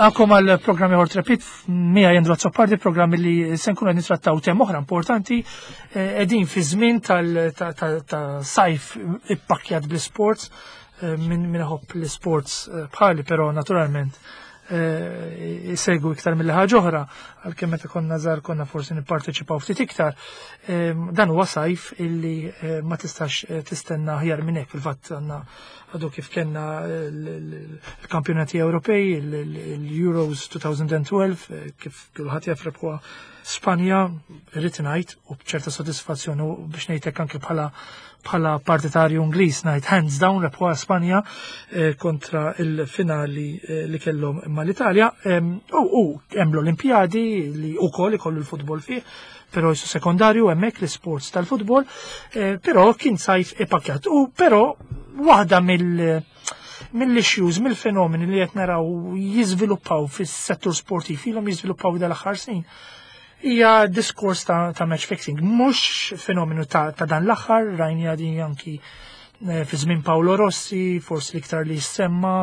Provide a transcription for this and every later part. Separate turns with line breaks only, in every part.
Nilqakom għal programm ieħor Trepid miegħi Andrew Azzopardi, programm li se nkunu qed nittrattaw tem oħra importanti qegħdin fi żmien tal-sajf ippakkjat bl-isports minn min iħobb l-isports bħali, però naturalment jsegwu iktar mill ħaġa oħra, għalkemm meta konna żgħar konna forsi nipparteċipaw ftit iktar. Dan huwa sajf illi ma tistax tistenna aħjar minn hekk. Fil-fatt għandna għadu kif kellna l-kampjonati Ewropej, l-Euros 2012, kif kulħadd jaf rebħuha Spanja, irrid ngħid u b'ċerta sodisfazzjon u biex ngħidlek anke bħala partitarju Ingliż ngħid hands down rebħuha Spanja kontra il-finali li kellhom mal-Italja. U hemm l-Olimpjadi li wkoll ikollu l-futbol fih, però jisu sekondarju hemmhekk l-isports tal-futbol, però kien sajf ipakjat. U però waħda mill-issues, mill-fenomeni li qed naraw jiżviluppaw fis-settur sportiv, ilhom jiżviluppaw dal-aħħar snin, hija diskors ta' match fixing. Mhux fenomenu ta' dan l-aħħar, rajni din anki fi żmien Paolo Rossi, forsi l-iktar li jissemma,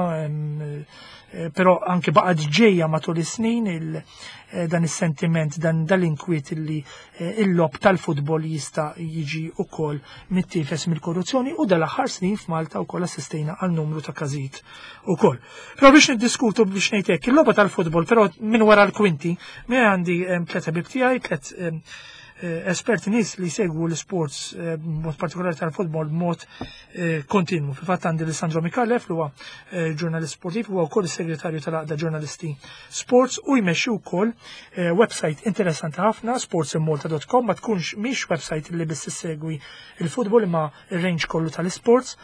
però anki baqgħet ġejja matul is-snin dan is-sentiment, dan dal-inkwiet li il-logħob tal-futbol jista' jiġi wkoll mittifes mill-korruzzjoni, u dal-aħħar snin f'Malta wkoll assistejna għal numru ta' każijiet ukoll. Però biex niddiskutu biex ngħid hekk, il-logħba tal-futbol, però minn wara l-kwinti, mi għandi tliet ħbieb tiegħi, tliet esperti nies li segwu l-sports b'mod partikolari tal-futbol b'mod kontinwu. Fil-fatt għandi Alessandro Micallef li huwa ġurnalist sportiv, huwa wkoll is-segretarju tal-Għaqda Ġurnalisti Sports u jmexxi wkoll website interessanti ħafna, sportsinmalta.com, ma tkunx mhix website li biss issegwi il-futbol imma ir-range kollu tal-sports,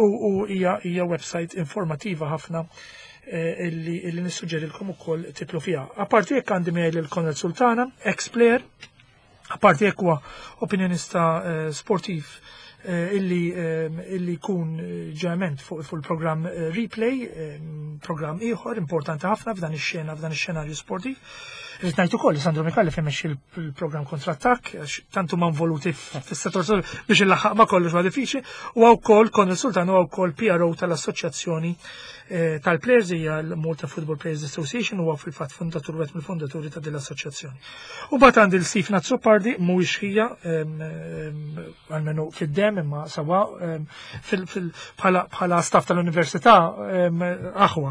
u hija website informativa ħafna illi nissuġġerilkom ukoll titlu fiha. Apparti jekk għandi miegħi lil Konrad Sultana, ex-player, apparti jekk huwa opinjonista sportiv illi jkun ġeneralment fuq il-programm Replay, programm ieħor importanti ħafna f'dan ix-xena, f'dan ix-xenarju sportiv. Irrid ngħid ukoll li Sandro Micallef imexxi l-programm Kontrattakk, għax tant huma involuti fis-settur biex il-laħaq ma kollox ma diffiċli, u wkoll Konrad Sultan huwa wkoll PRO tal-Assoċjazzjoni tal-Players, hija l-Malta Football Players Association, huwa fil-fatt fundatur wieħed mill-fondaturi ta' din l-assoċjazzjoni. U mbagħad għandi l-Steve Azzopardi, mhuwiex ħija almenu fid-dem imma sawa bħala staff tal-università aħwa.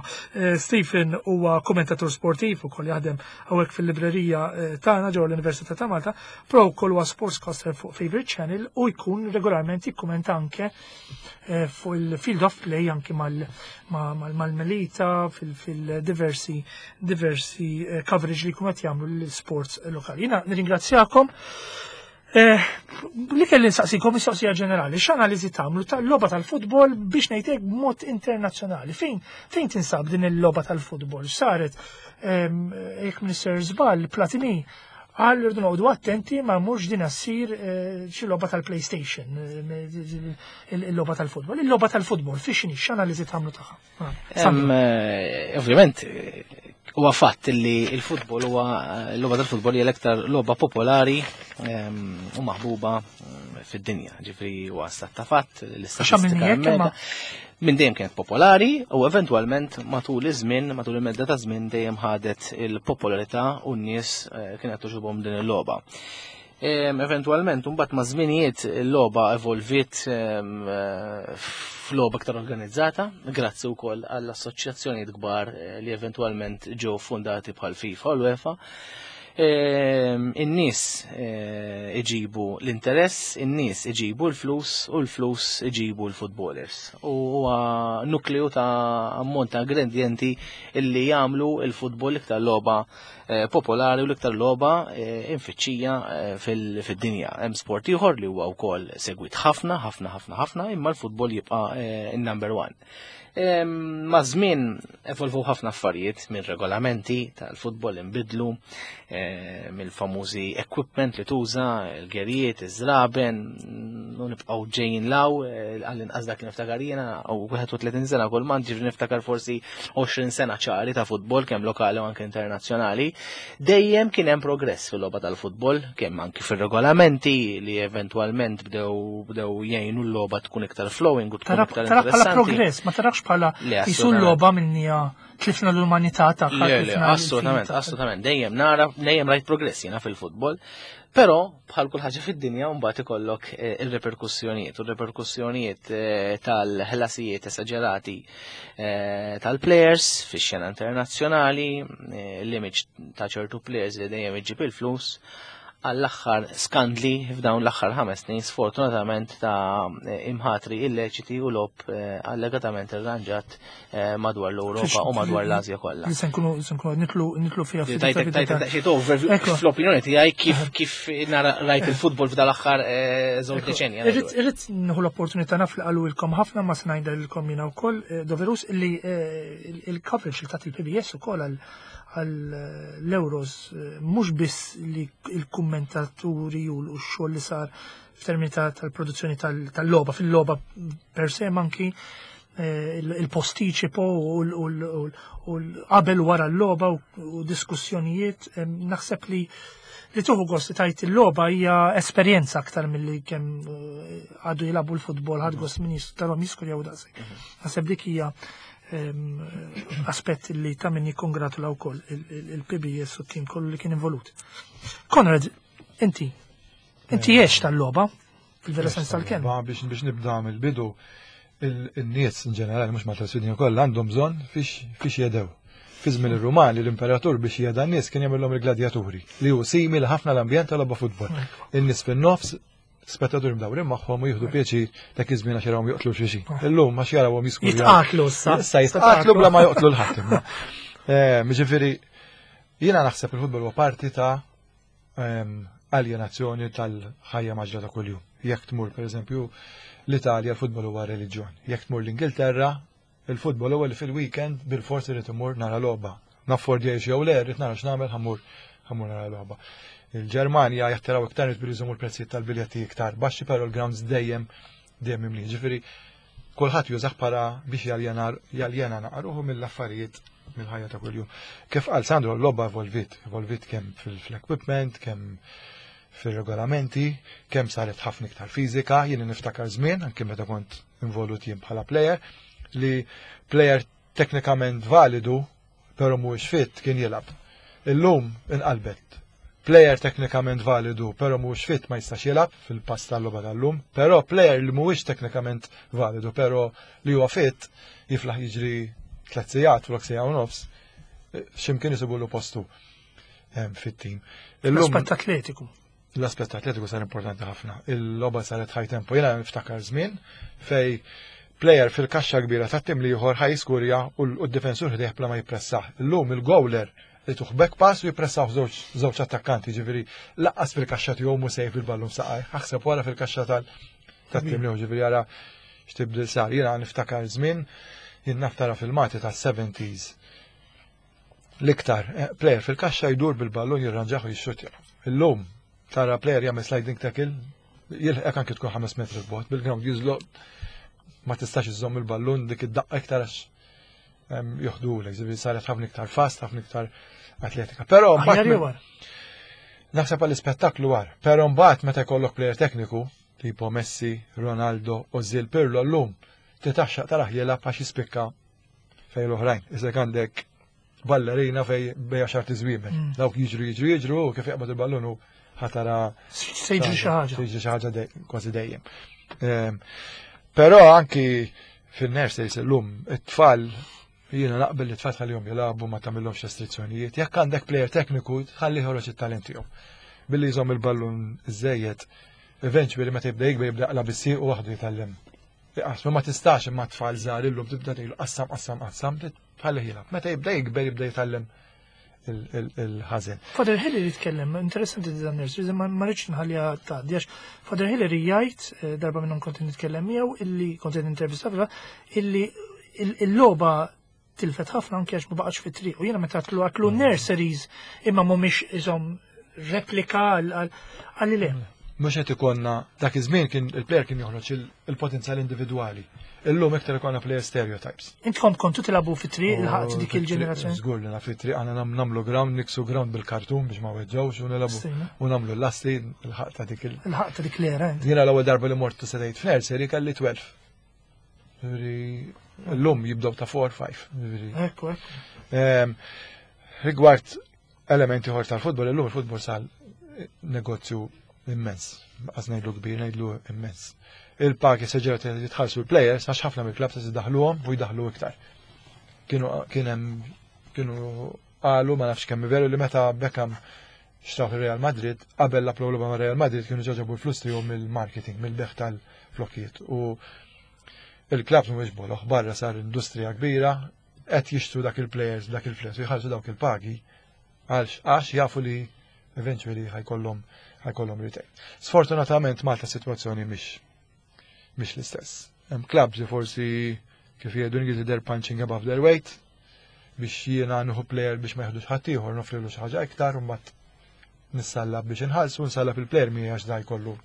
Stephen huwa kommentatur sportiv ukoll jaħdem hawnhekk fil-librerija tagħna ġewwa l-Università ta' Malta, però wkoll huwa sportscaster fuq Favorite Channel u jkun regolarment jikkumenta anke fuq il-field of play anke mal-Melita fil-diversi diversi coverage li jkunu qed jagħmlu l-sports lokali. Jiena nirringrazzjakom. Li kelli nsaqsikom mistoqsija ġenerali, x'analiżi tagħmlu tal-logħba tal-futbol biex ngħidlek b'mod internazzjonali? Fejn tinsab din il-logħba tal-futbol? Saret jekk Minister żball Platini qal irdu noqogħdu attenti ma mhux din assir xi logħba tal-PlayStation, il-logħba tal-futbol. Il-logħba tal-futbol fiex x'inhi, x'analiżi tagħmlu tagħha?
Ovvjament, huwa fatt li l-futbol huwa l-logħba tal-futbol hija l-iktar logħba popolari u maħbuba fid-dinja. Ġifri huwa stat ta' fatt, l-istatistika minn dejjem kienet popolari u eventwalment matul iż-żmien, matul il-medda ta' żmien dejjem ħadet il-popolarità u n-nies kienet togħġobhom din il-logħba. Eventwalment, mbagħad ma' żminijiet il-logħba evolviet f'logħba aktar organizzata, grazzi wkoll għall-assoċjazzjonijiet kbar li eventwalment ġew fundati bħal FIFA u l-UEFA. In-nies iġibu l-interess, in-nies iġibu l-flus u l-flus iġibu l-footballers. U huwa nukleu ta' ammont ta' ingredienti illi jagħmlu l-futbol iktar logħba popolari u l-iktar logħba infittxija fid-dinja. Hemm sport ieħor li huwa wkoll segwit ħafna, ħafna, ħafna, ħafna, imma l-futbol jibqa' in-number one. Ma' żmien evolvu ħafna affarijiet minn regolamenti tal-futbol inbidlu, mill-famużi equipment li tuża, il-gerijiet, iż-żraben, u nibqgħu ġejjin law, għall-inqas dak li niftakar jiena, u 31 sena kull man, ġifri niftakar forsi 20 sena ċari ta' futbol, kemm lokali u anke internazzjonali. Dejjem kien hemm progress fil-logħba tal-futbol, kemm anki fir-regolamenti li eventwalment bdew jgħinu l-logħba tkun iktar flowing u tkun iktar
Tara bħala
interessanti.
progress, ma tarakx bħala jisu l-logħba minnija tlifna l-umanità
tagħha. Assolutament, assolutament. Dejjem nara, dejjem rajt progress jiena fil-futbol. Però bħal kull ħaġa fid-dinja mbagħad ikollok eh, ir-reperkussjonijiet u r-reperkussjonijiet eh, tal-ħlasijiet esaġerati eh, tal-players fix-xena internazzjonali, l-image ta' ċertu players li dejjem iġib il-flus għall-aħħar skandli f'dawn l-aħħar 5 snin sfortunatament ta' imħatri illeċiti u lob eh, allegatament irranġat eh, madwar l-Ewropa u madwar l-Asja kollha.
Se nkunu se nkunu nitlu nitlu fiha
ftit. Tajtek overview fl-opinjoni tiegħi kif kif nara rajt il-futbol f'dan l-aħħar eh, żewġ deċenja.
Irrid nieħu l-opportunità naf li qalulkom ħafna ma se ngħidilkom jiena wkoll doverus li il-coverage li tat il-PBS ukoll għal għall-Euros mhux biss li l-kummentaturi u x-xogħol li sar f'termini tal-produzzjoni tal-logħba, fil-logħba per se manki eh, il-postiċipo u qabel wara l-logħba u diskussjonijiet, naħseb li li tuħu gost li tajt il-logħba hija esperjenza aktar milli kemm eh, għadu jilagħbu l-futbol ħad gost min jistarhom jiskurjaw daqshekk. Mhm. Naħseb dik hija aspett li ta' min jikkongratula wkoll il-PBS u t-tim kollu li kien involut. Konrad, inti, inti għex tal-logħba fil-vera sens tal-kelma.
Biex biex nibda mill-bidu, il-nies in ġenerali mhux Malta Swedin kollha għandhom bżonn fiex jedew. Fi żmien ir-Rumani l-imperatur biex jeda n-nies kien jagħmilhom il-gladjaturi li hu simili ħafna l-ambjent tal-logħba futbol. In-nies fin-nofs spettaturi mdawrin magħhom u jieħdu pjaċir dak iż-żmien għax jarawhom joqtlu xi. Illum għax jarawhom jisku.
Jitqatlu issa.
Issa jitqatlu bla ma joqtlu l-ħadd imma. Eh, ġifieri jiena naħseb il-futbol huwa parti ta' ehm, aljenazzjoni tal-ħajja maġra ta' kuljum. Jekk tmur pereżempju l-Italja l-futbol huwa reliġjon. Jekk tmur l-Ingilterra Il-futbol huwa li fil-weekend bilfors irrid immur nara logħba. Naffordjajx jew le, rrid nara x'nagħmel ħammur ħammur nara logħba. Il-Ġermanja jattiraw iktar nies billi jżommu l-prezzijiet tal-biljetti iktar baxxi, però l-grounds dejjem dejjem mimlin. Ġifieri kulħadd jużah bħala biex jaljena jaljena naqruħu mill-affarijiet mill-ħajja ta' kuljum. Kif qal Sandro, l-logħba evolvit, evolvit kemm fil-equipment, kemm fir-regolamenti, kemm saret ħafna iktar fiżika, jien niftakar żmien, anke meta kont involut jien bħala player, li player teknikament validu, pero mhuwiex fit kien jilgħab. Illum inqalbet. Player teknikament validu, pero mhuwiex fit ma jistax jilgħab fil-pass tal-logħba tal-lum, però player li mhuwiex teknikament validu, pero li huwa fit jiflaħ jiġri tliet sigħat flok siegħa u nofs, x'imkien isibulu postu fit-tim.
L-aspett atletiku.
L-aspett atletiku sar importanti ħafna. Il-logħba saret high tempo. Jiena niftakar żmien fej player fil-kaxxa kbira ta' tim li ieħor ħaj jiskurja u d-difensur ħdejh bla ma jippressah. Illum il-gowler li tuħ back pass u jippressaw żewġ attakkanti, ġifieri laqqas fil-kaxxa tiegħu mhu sejf il-ballun saqaj. Aħseb wara fil-kaxxa tal-tim li ġifieri ara x'tibdil sar. Jiena niftakar żmien jien naf tara filmati tas-70s L-iktar, eh, player fil-kaxxa jdur bil-ballun jirranġaħ u jixxutja. Illum tara player jagħmel sliding tackle, jilħqek anki tkun 5 metri bot, bil-ground jużloq ma tistax iżżomm il-ballun dik id-daqqa iktar għax joħdulek, ġifieri saret ħafna iktar fast, ħafna iktar atletika. Però
mbagħad
naħseb għall-ispettaklu għar, però mbagħad meta jkollok player tekniku, tipo Messi, Ronaldo, Ozil, Pirlo llum, titaxxaq taraħ jilgħab għax jispikka fej l-oħrajn. Isek għandek ballerina fej bej għaxar tiżwiemer. Mm. Dawk jiġru jiġru jiġru u kif jaqbad il-ballun u ħatara.
Se jiġri xi ħaġa.
Se jiġri xi ħaġa kważi dejjem. Ehm, però anki fin-nurseries illum it-tfal jiena naqbel li tfal tħallihom jilagħbu ma tagħmilhomx restrizzjonijiet. Jekk għandek plejer tekniku tħalli ħoroġ it-talent tiegħu. Billi jżomm il-ballun iżejjed, eventually meta jibda jikber jibda jaqla' bis-sieq u waħdu jitgħallem Iqasmu ma tistax imma tfal żgħar illum tibda tgħidlu qassam qassam qassam tħallih jilgħab. Meta jibda jikber jibda jitgħallem il-ħażen.
Father Hillary jitkellem, interessanti dan nurseries, ma rridx nħallija tgħaddi għax Father Hillary jgħid eh, darba minnhom kont nitkellem miegħu illi kont intervista illi il-logħba tilfet ħafna anke għax ma baqgħetx fit-triq. U jiena meta għatlu għatlu mm. nurseries imma mhumiex iżhom replika għal le.
Mhux qed ikonna dak iż-żmien kien il-player kien joħroġ il-potenzjal individwali. Illum iktar ikonna player stereotypes.
Intkom kontu tilagħbu fit-triq il-ħaqt dik il-ġenerazzjoni.
Żgur li fit-triq għandna nagħmlu ground, niksu ground bil-kartun biex ma weġġawx u nilagħbu u nagħmlu l-lasti il-ħaq ta' dik
il. Il-ħaq ta' dik l-era.
Jiena l-ewwel darba li mortu sedejt f'nursery kelli 12. L-lum jibdew ta' 4-5.
Ekku, ekku.
Rigward elementi ħor tal-futbol, illum il-futbol sal negozju immens. Għaz ngħidlu kbir, ngħidlu immens. Il-pagi seġerat jitħallsu l-players għax ħafna mill-klabs se jdaħluhom u jdaħlu iktar. Kienu kien hemm kienu qalu ma nafx kemm veru li meta Beckham xtraw Real Madrid, qabel la logħba ma' Real Madrid kienu ġaġabu l-flus tiegħu mill-marketing, mill-beħ tal-flokkijiet. U il-klabs mhuwiex boloħ, barra sar industrija kbira, qed jixtru dak il-players dak il-flus u jħallsu dawk il-pagi għalx għax jafu li eventually ħajkollhom ħajkollhom return. Sfortunatament Malta situazzjoni mhix mhix l-istess. Hemm clubs li forsi kif jgħidu Ingliżi they're punching above their weight biex jiena nieħu player biex ma jieħdux ħadd ieħor nofrilu xi ħaġa iktar u mbagħad nissallab biex inħallsu nsallab il-player miegħi għax da jkollu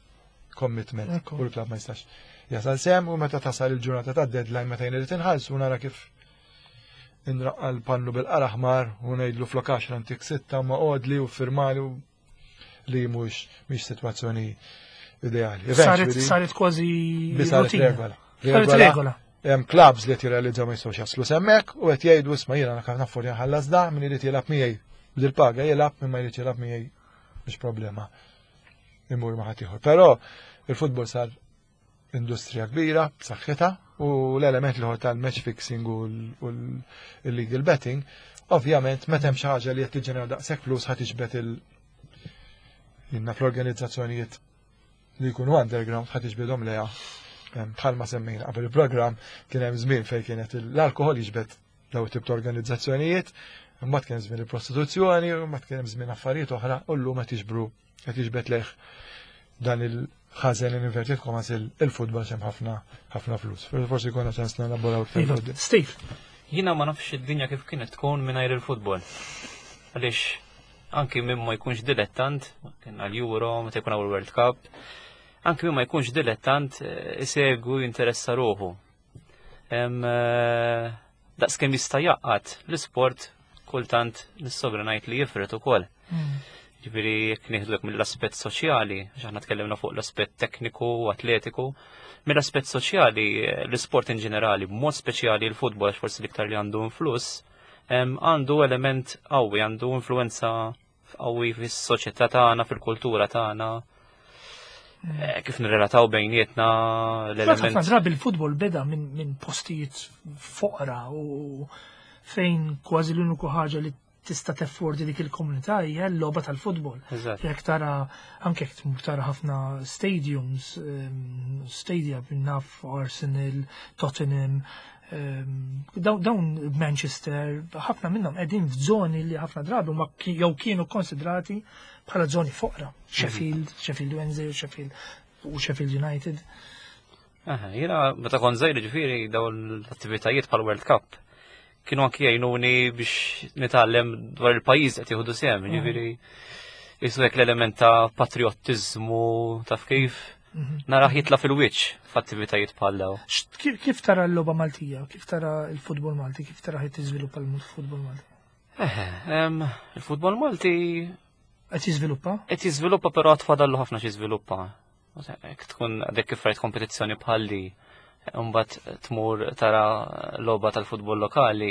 commitment
Ekku.
u l-klabb ma jistax jasal sem u meta tasal il-ġurnata ta' deadline meta jien irid inħallsu nara kif inraqqa l-pannu bil-qara aħmar u ngħidlu flok 10 antik sitta ma qodli u firmali u li mhux mhix sitwazzjoni ideali.
Saret
Eventually,
saret kważi
bi saret
rutina.
regola.
Saret regola.
Hemm clubs li qed jirrealizzaw ma jistgħux jaslu semmek u qed jgħidu isma' jiena naf naffor nħallas da min irid jilgħab miegħi bil-paga jilgħab min ma jrid jilgħab miegħi mhix problema. Imur ma' ħadd ieħor. Però il-futbol sar industrija kbira b'saħħitha u l-element li tal-match fixing u l-illegal betting, ovvjament meta hemm xi ħaġa li qed tiġġenera daqshekk flus ħadd iġbed il jinna fl-organizzazzjonijiet li jkunu underground ħadd iġbidhom leha. Bħalma semmejna qabel il-programm kien hemm żmien fejn kienet l-alkohol jiġbed daw tip ta' organizzazzjonijiet, imbagħad kien hemm żmien il-prostituzzjoni, imbagħad kien hemm żmien affarijiet oħra u llum qed jiġbru qed jiġbed lejh dan il-ħażen in inverted commas il-futbol xem ħafna ħafna flus. Forsi jkollna ċans nelaboraw iktar
Iva,
quddiem.
Steve,
Jina ma nafx id-dinja kif kienet tkun mingħajr il-futbol. Għaliex anki min ma jkunx dilettant, kien għal-Euro, meta jkun hawn il-World Cup, anki min ma jkunx dilettant eh, isegwu jinteressa ruħu. Em, eh, Daqs kemm jista' jaqgħad l-isport kultant nissogra ngħid li jifret ukoll. Ġifieri jekk nieħdulek mill-aspett soċjali, għax aħna tkellimna fuq l-aspett tekniku u atletiku, mill-aspett soċjali eh, l-isport in ġenerali, b'mod speċjali l-futbol għax forsi l-iktar li għandu influss, em, għandu element qawwi, għandu influenza qawwi fis-soċjetà tagħna, fil-kultura tagħna, eh, kif nirrelataw bejnietna
ħafna
l-element.
drabi il-futbol beda minn min postijiet foqra u fejn kważi l-uniku ħaġa li tista' teffordi dik il-komunità hija l-logħba tal-futbol.
Eżatt.
Jekk tara anke jekk tmur tara ħafna stadiums, stadia naf Arsenal, Tottenham, dawn Manchester, ħafna minnhom qegħdin f'żoni li ħafna drabi huma jew kienu konsidrati bħala żoni foqra. Sheffield, Sheffield Wednesday, Sheffield u Sheffield United.
Aha, Jiena meta kont żgħir ġifieri dawn l-attivitajiet bħal World Cup kienu anki jgħinuni biex nitgħallem dwar il-pajjiż qed jieħdu sehem, ġifieri jisu hekk l-element ta' patriottiżmu taf kif narah jitla' fil-wiċċ f'attivitajiet bħal dawn.
Kif tara l-logħba Maltija? Kif tara l-futbol Malti? Kif tara ħed tiżviluppa l-futbol Malti?
Eħe, il-futbol Malti
Qed jiżviluppa?
qed jiżviluppa però għad fadallu ħafna xi żviluppa. Jekk tkun għadek kif rajt kompetizzjoni bħalli, mbagħad tmur tara logħba tal-futbol lokali,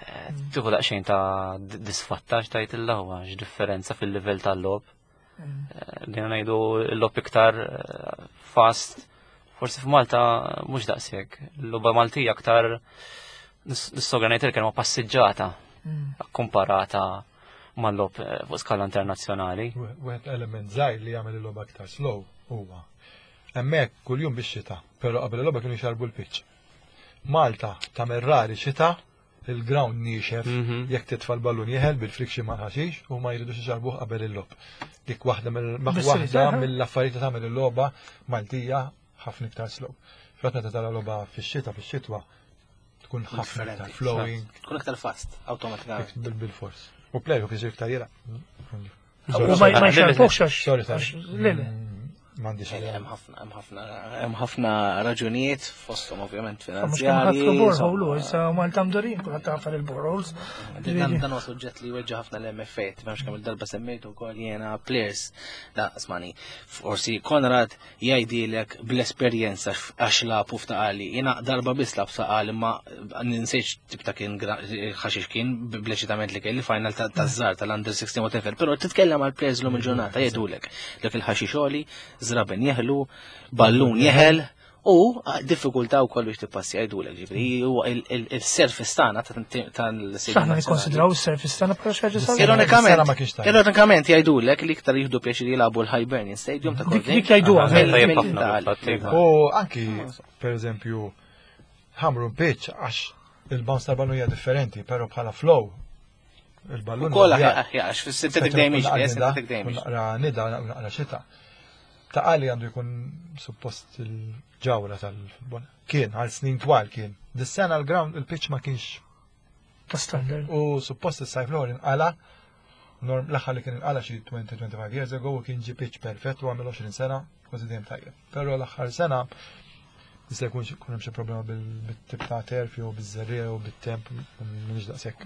eh, tieħu daqsxejn ta' disfatta tajt il-laħwa, x'differenza fil-livell tal-logħob. Eh, Bdejna ngħidu l-logħob iktar eh, fast, forsi f'Malta mhux daqshekk. L-logħba Maltija aktar nissogra ngħid il-kelma passiġġata komparata mal-logħob eh, fuq skala internazzjonali.
Wieħed element żgħir li jagħmel il-logħba aktar slow huwa. Hemmhekk kuljum bix-xita, però qabel il-logħba kienu jxarbu l-pitch. Malta tagħmel rari xita, il-ground niexef, jekk titfa' l-ballun jeħel bil-friction mal-ħaxix u ma jridux ixarbuh qabel il-logħob. Dik waħda mill-
Bis-serjetà,
waħda
ha?
mill-affarijiet li tagħmel il-logħba Maltija ħafna iktar slow. Fatt meta tara logħba fix-xita fix-xitwa tkun ħafna iktar
Differenti.
flowing
Tkun aktar fast, awtomatikament.
bil-fors. U play-off jisir iktar jela.
U ma ma jxarbuhx għax.
Sorry, sorry.
għax- Le, le.
M'għandix idea.
Hemm ħafna, hemm ħafna, hemm ħafna raġunijiet fosthom ovvjament
Mhux kemm ħafru
finanzjarji.
borehole, u issa Malta mdurin kulħadd tafar il-boreholes.
Dan dan huwa suġġett li weġġa' ħafna l-MFA, tifhemx kemm il-darba semmejtu wkoll jiena players da smani. Forsi Konrad jgħidilek bl-esperjenza għax lagħbu f'taqali. Jiena darba biss lab f'taqali ma ninsejx tip ta' kien ħaxix kien bl-eċitament li kelli final taż-żar tal-under 16 whatever, però titkellem għal players lum il-ġurnata jgħidulek dak il-ħaxix żraben jeħlu, ballun jeħel, u diffikultà wkoll biex tippassi jgħidulek, ġifieri huwa il-surface tagħna tal-Stadium
Aħna nikkonsidraw is-surface tagħna bħala xi ħaġa sabiħa.
Ironikament,
Sena ma kienx tajjeb.
ironikament jgħidulek li iktar jieħdu pjaċir jilagħbu l-Hibernian Stadium ta'
Dik
Kordin.
dik jgħiduha.
Aha,
vera.
tajjeb
Mill-
ħafna
mill-
fil-fatt, iva.
U anki, per eżempju, Ħamrun pitch għax il-bounce tal-ballun hija differenti, pero bħala flow il-ballun.
Ukoll
huwa
aħjar, għax fis-synthetic damage, eh, synthetic damage.
Naqra nida, naqra xita. Ta' għali għandu jkun suppost il-ġawra tal-futbol. Kien, għal snin twal kien. Dis-sena l-ground, il-pitch ma kienx
Ta' standard.
u suppost is-sajf l inqala norm l-aħħar li kien inqala xi 20-25 years ago u kien ġi pitch perfett u għamel 20 sena kważi dejjem tajjeb. Però l-aħħar sena jista' jkun xi- kun hemm xi problema bil-tip ta' turf jew biż-żerriegħa u bit-temp m'iniex daqshekk.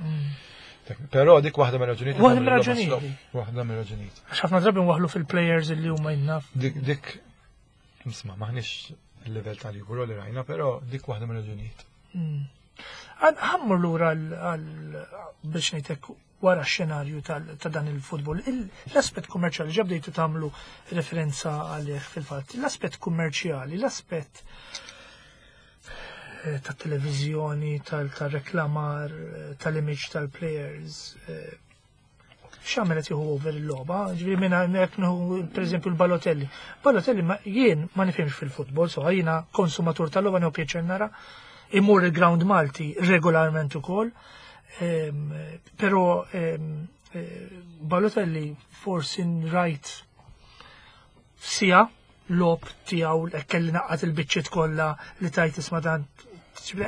Però dik waħda mir-raġunijiet.
Waħda mir-raġunijiet.
Waħda mir-raġunijiet.
Għax ħafna drabi nwaħlu fil-players li huma jinnaf.
Dik dik nisma' maħniex il-level tal-Euro li rajna, però dik waħda mir-raġunijiet.
Ħammur lura għal biex ngħidlek wara x-xenarju ta' dan il-futbol. L-aspett kummerċjali ġa bdejtu tagħmlu referenza għalih fil-fatt. L-aspett kummerċjali, l-aspett ta' televizjoni, tal-reklamar, tal-image tal-players. X'għamel qed jieħu over il-logħba, ġifieri minn hekk nieħu pereżempju l-Balotelli. Balotelli jien ma nifhimx fil-futbol, so jiena konsumatur tal-logħba nieħu pjaċir nara, imur il-ground Malti regolarment ukoll, però Balotelli forsi rajt sija logħob tiegħu kelli naqqat il-biċċiet kollha li tajt isma' dan.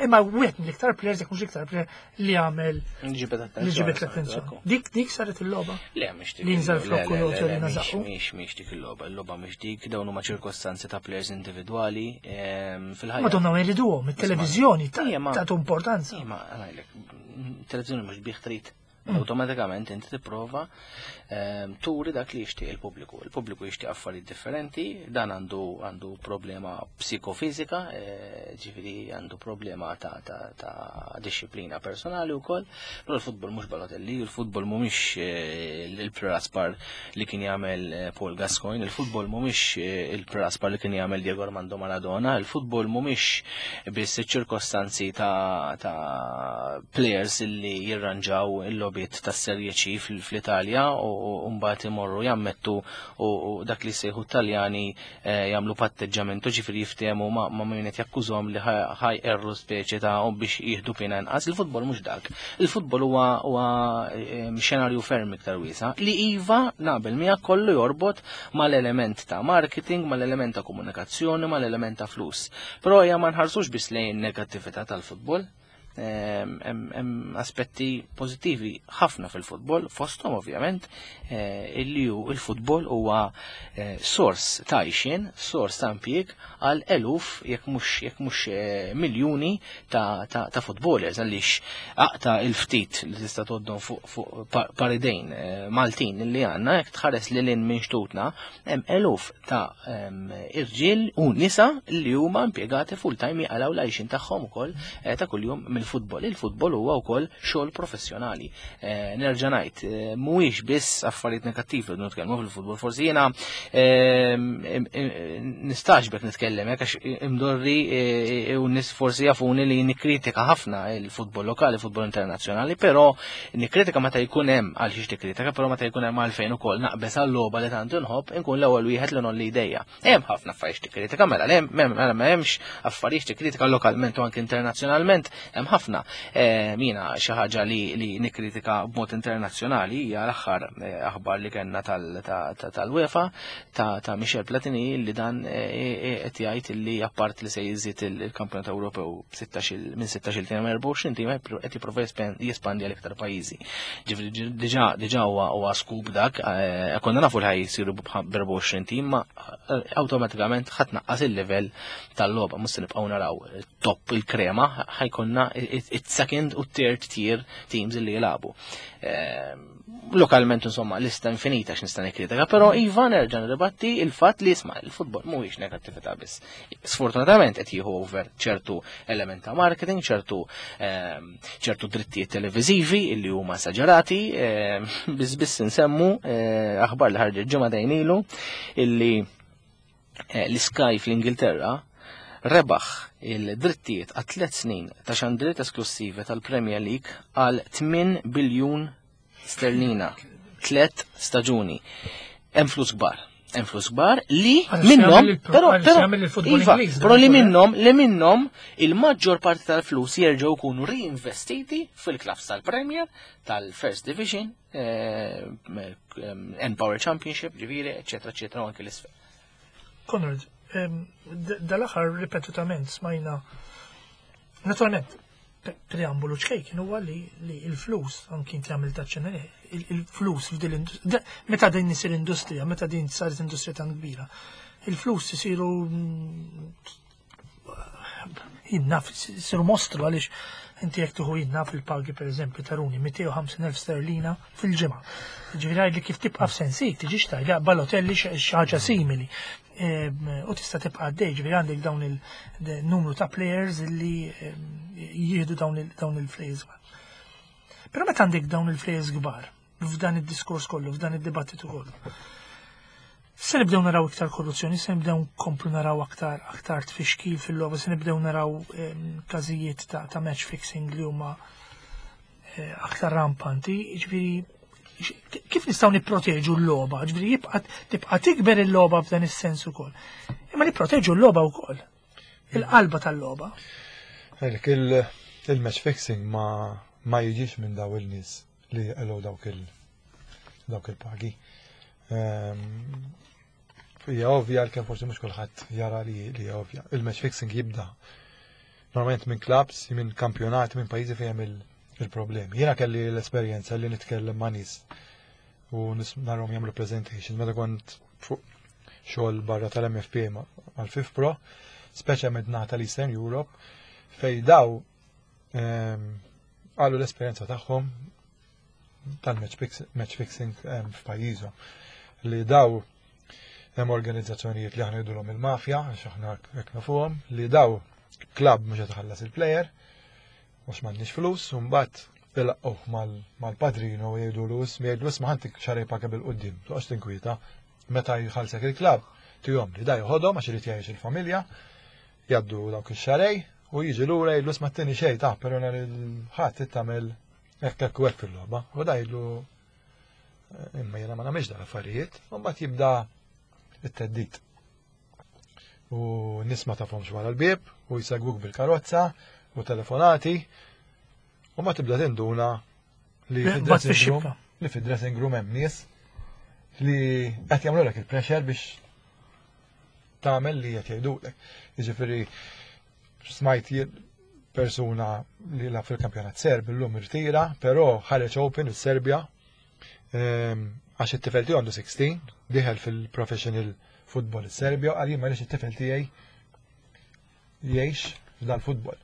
Imma wieħed mill-iktar players, jekk mhux iktar player li għamel
Ġibet
li ġibet l-attenzjoni. Dik saret il-logħba.
Le, mhix dik.
Li nżal
le,
flokku
le,
l
le,
li
le,
nażaqu.
Mhix dik il-logħba, il-logħba mhix dik, dawn huma ċirkostanzi ta' players individwali fil-ħajja.
Madonna ma jriduhom, it-televiżjoni
Ija, ma-
tagħtu importanza.
Ija, ma ngħidlek, televizjoni mhux bih trid. Automatikament inti tipprova turi dak li jixtieq il-pubbliku. Il-pubbliku jixtieq affarijiet differenti, dan għandu problema psikofizika, ġifieri għandu problema ta' disciplina personali wkoll, però l-futbol mhux Balotelli, il-futbol mhumiex il-praspar li kien jagħmel Paul Gascoigne, il-futbol mhumiex il-praspar li kien jagħmel Diego Armando Maradona, il-futbol mhumiex biss iċ-ċirkostanzi ta' players illi jirranġaw il-logħbiet tas-Serie C fl-Italja u mbagħad imorru jammettu u dak li sejħu Taljani jagħmlu patteġġamentu, ġifieri jiftehmu ma' min qed jakkużhom li ħajqerru speċi ta' u biex jieħdu pena inqas. Il-futbol mhux dak. Il-futbol huwa xenarju ferm iktar wiesa' li iva naqbel miegħek kollu jorbot mal-element ta' marketing, mal-element ta' komunikazzjoni, mal-element ta' flus. Però hija ma nħarsux biss lejn negattività tal-futbol. Hemm aspetti pożittivi ħafna fil-futbol, fosthom ovvjament illi hu il-futbol huwa sors ta' għajxien, sors ta' impjieg għal eluf jekk mhux miljuni ta' futbolers, għaliex aqta il-ftit li tista' tgħoddhom fuq paridejn Maltin li għandna, jekk tħares lil hinn minn xtutna, hemm eluf ta' irġiel u nisa li huma impjegati full time jaqalgħu l-għajxien tagħhom ukoll ta' kuljum mill-futbol. Il-futbol huwa wkoll xogħol professjonali. Nerġa' ngħid, mhuwiex biss affarijiet negattivi li nitkellmu fil-futbol. Forsi jiena nistaġbek nitkellem hekk għax imdorri u nies forsi jafuni li nikkritika ħafna il-futbol lokali, il-futbol internazzjonali, però nikkritika meta jkun hemm għal xiex tikkritika, però meta jkun hemm għalfejn ukoll naqbeż għal-logħba li tant inħobb, inkun l-ewwel wieħed li nolli idejja. Hemm ħafna affarijiet tikkritika, mela le, mela ma hemmx affarijiet tikkritika lokalment u anke internazzjonalment, hemm ħafna. Eh, mina xi ħaġa li, li nikkritika b'mod internazzjonali hija l-aħħar eh, aħbar li kellna tal-UEFA ta', ta Michel Platini li dan eh, qed jgħid li appart li se jiżid il-Kampjonat Ewropew minn 16 tim 24 tim qed jipprova jespandi għal iktar pajjiżi. Ġifieri diġà diġà huwa huwa skub dak, konna nafu li ħaj jsiru b'24 tim ma awtomatikament ħadd naqqas il-livell tal-logħba mhux se nibqgħu naraw top il-krema ħajkonna it-second u third tier teams li jilagħbu. Ehm, lokalment insomma lista infinita x'nista' nikkritika, però iva nerġa' nirribatti il-fatt li isma' il-futbol mhuwiex negattività biss. Sfortunatament qed jieħu over ċertu element ta' marketing, ċertu ehm, ċertu drittijiet televiżivi illi huma esaġerati, ehm, biss biss insemmu eh, aħbar li ħarġet ġimgħa dejn ilu illi Eh, l-Sky fl-Ingilterra rebaħ il-drittijiet għat tliet snin ta' xandriet esklussivi tal-Premier League għal 8 biljun sterlina. Tlet staġuni. Hemm flus kbar. Hemm flus kbar li minnhom però però iva, però li minnhom li minnhom il-maġġor parti tal-flus jerġgħu jkunu reinvestiti fil-klabs tal-Premier, tal-First Division, eh, Empower Championship, ġifieri, eċetera, eċetera, u anke l-isfel.
Konrad, dal-aħħar ripetutament smajna, naturalment, preambolu ċkejken huwa li il-flus, anki inti għamil taċċena, il-flus f'din l-industrija, meta din isir industrija, meta din saret industrija tan kbira, il-flus isiru jien naf, siru mostru għaliex inti jekk tieħu jien naf il-pagi pereżempju ta' Rooney 250,000 sterlina fil-ġimgħa. Ġifieri għidli kif tibqa' f'sensik, tiġix tgħid Balotelli xi ħaġa simili. U tista' tibqa' għaddej, ġifieri għandek dawn il-numru ta' players li jieħdu dawn il-flejers. Però meta għandek dawn il-flejers kbar, f'dan id-diskors kollu, f'dan id-dibattitu kollu. Se nibdew naraw iktar korruzzjoni, se nibdew nkomplu naraw aktar aktar tfixkil fil-logħba, se nibdew naraw ehm, każijiet ta', ta match fixing li huma eh, aktar rampanti, ġifieri kif nistgħu nipproteġu l-logħba, ġifieri jibqa' tibqa' tikber il-logħba f'dan is-sens ukoll. Imma nipproteġu l-logħba wkoll. Il-qalba tal-logħba.
Il-match fixing ma ma jiġix minn daw il-nies li jaqilgħu dawk il dawk il-pagi. Ehm, hija ovvja għalkemm forsi mhux kulħadd jara li hija ovvja. Il-match fixing jibda normalment minn clubs, minn kampjonati, minn pajjiżi fejn hemm il-problemi. Jiena kelli l-esperjenza li nitkellem ma' nies u narhom jagħmlu presentation meta kont fuq xogħol barra tal-MFPA mal-FIFPro, speċjalment naħa tal-Eastern Europe, fej daw ehm, qalu l-esperjenza tagħhom tal-match fixing ehm, f'pajjiżhom li daw hemm organizzazzjonijiet li aħna jidulhom il-mafja, għax aħna hekk nafuhom, li daw klabb mhux qed iħallas il-plejer, għax m'għandniex flus, u mbagħad ilaqqgħuh mal-padrino u jgħidulu ismi jgħidlu isma' ħantik xarej paga bil-qudiem, toqgħodx tinkwieta. Meta jħallsek il-klabb, tihom li da joħodhom għax irid jgħix il-familja, jgħaddu dawk ix-xarej u jiġi lura jgħidlu isma' tini xejn ta' però nhar il-Ħadd tagħmel hekk hekk u hekk fil-logħba. U da jgħidlu eh, imma jiena ma nagħmilx dal-affarijiet, u mbagħad jibda it-teddid. U nies ma tafhomx wara l-bieb u jsegwuk bil-karozza u telefonati u ma tibda tinduna li fid-dressing room li fid-dressing room hemm nies li qed jagħmlulek il-pressure biex tagħmel li qed jgħidulek. Jiġifieri smajt persuna li la fil-kampjonat Serb illum irtira, però ħareġ Open is-Serbja ehm, għax it-tifel tiegħu għandu 16, diħel fil-professional football is-Serbja, għal jien ma it-tifel tiegħi jgħix f'dal-futbol.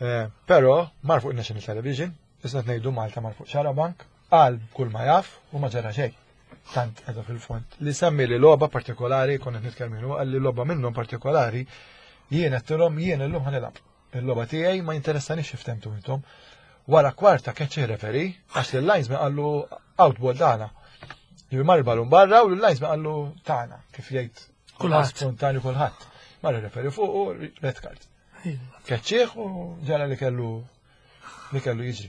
Eh, però mar fuq National Television, issa ngħidu Malta mar fuq Xarabank, qal kull ma jaf u ma ġara xejn. Tant qiegħda fil-fond. Li semmi li logħba partikolari, konna qed nitkellmu qal li logħba minnhom partikolari, jien qedtilhom jien illum ħanilgħab. Il-logħba tiegħi ma jinteressanix x'iftemtu intom. Wara kwarta keċċi referi għax lil linesman qallu outball tagħna. Ġifi mar il-balun barra u l-linesman qallu tagħna kif jgħid
kulħadd
spontanju kulħadd. Mar referi fuq u red card. Keċċieħ u ġara li kellu li kellu jiġri.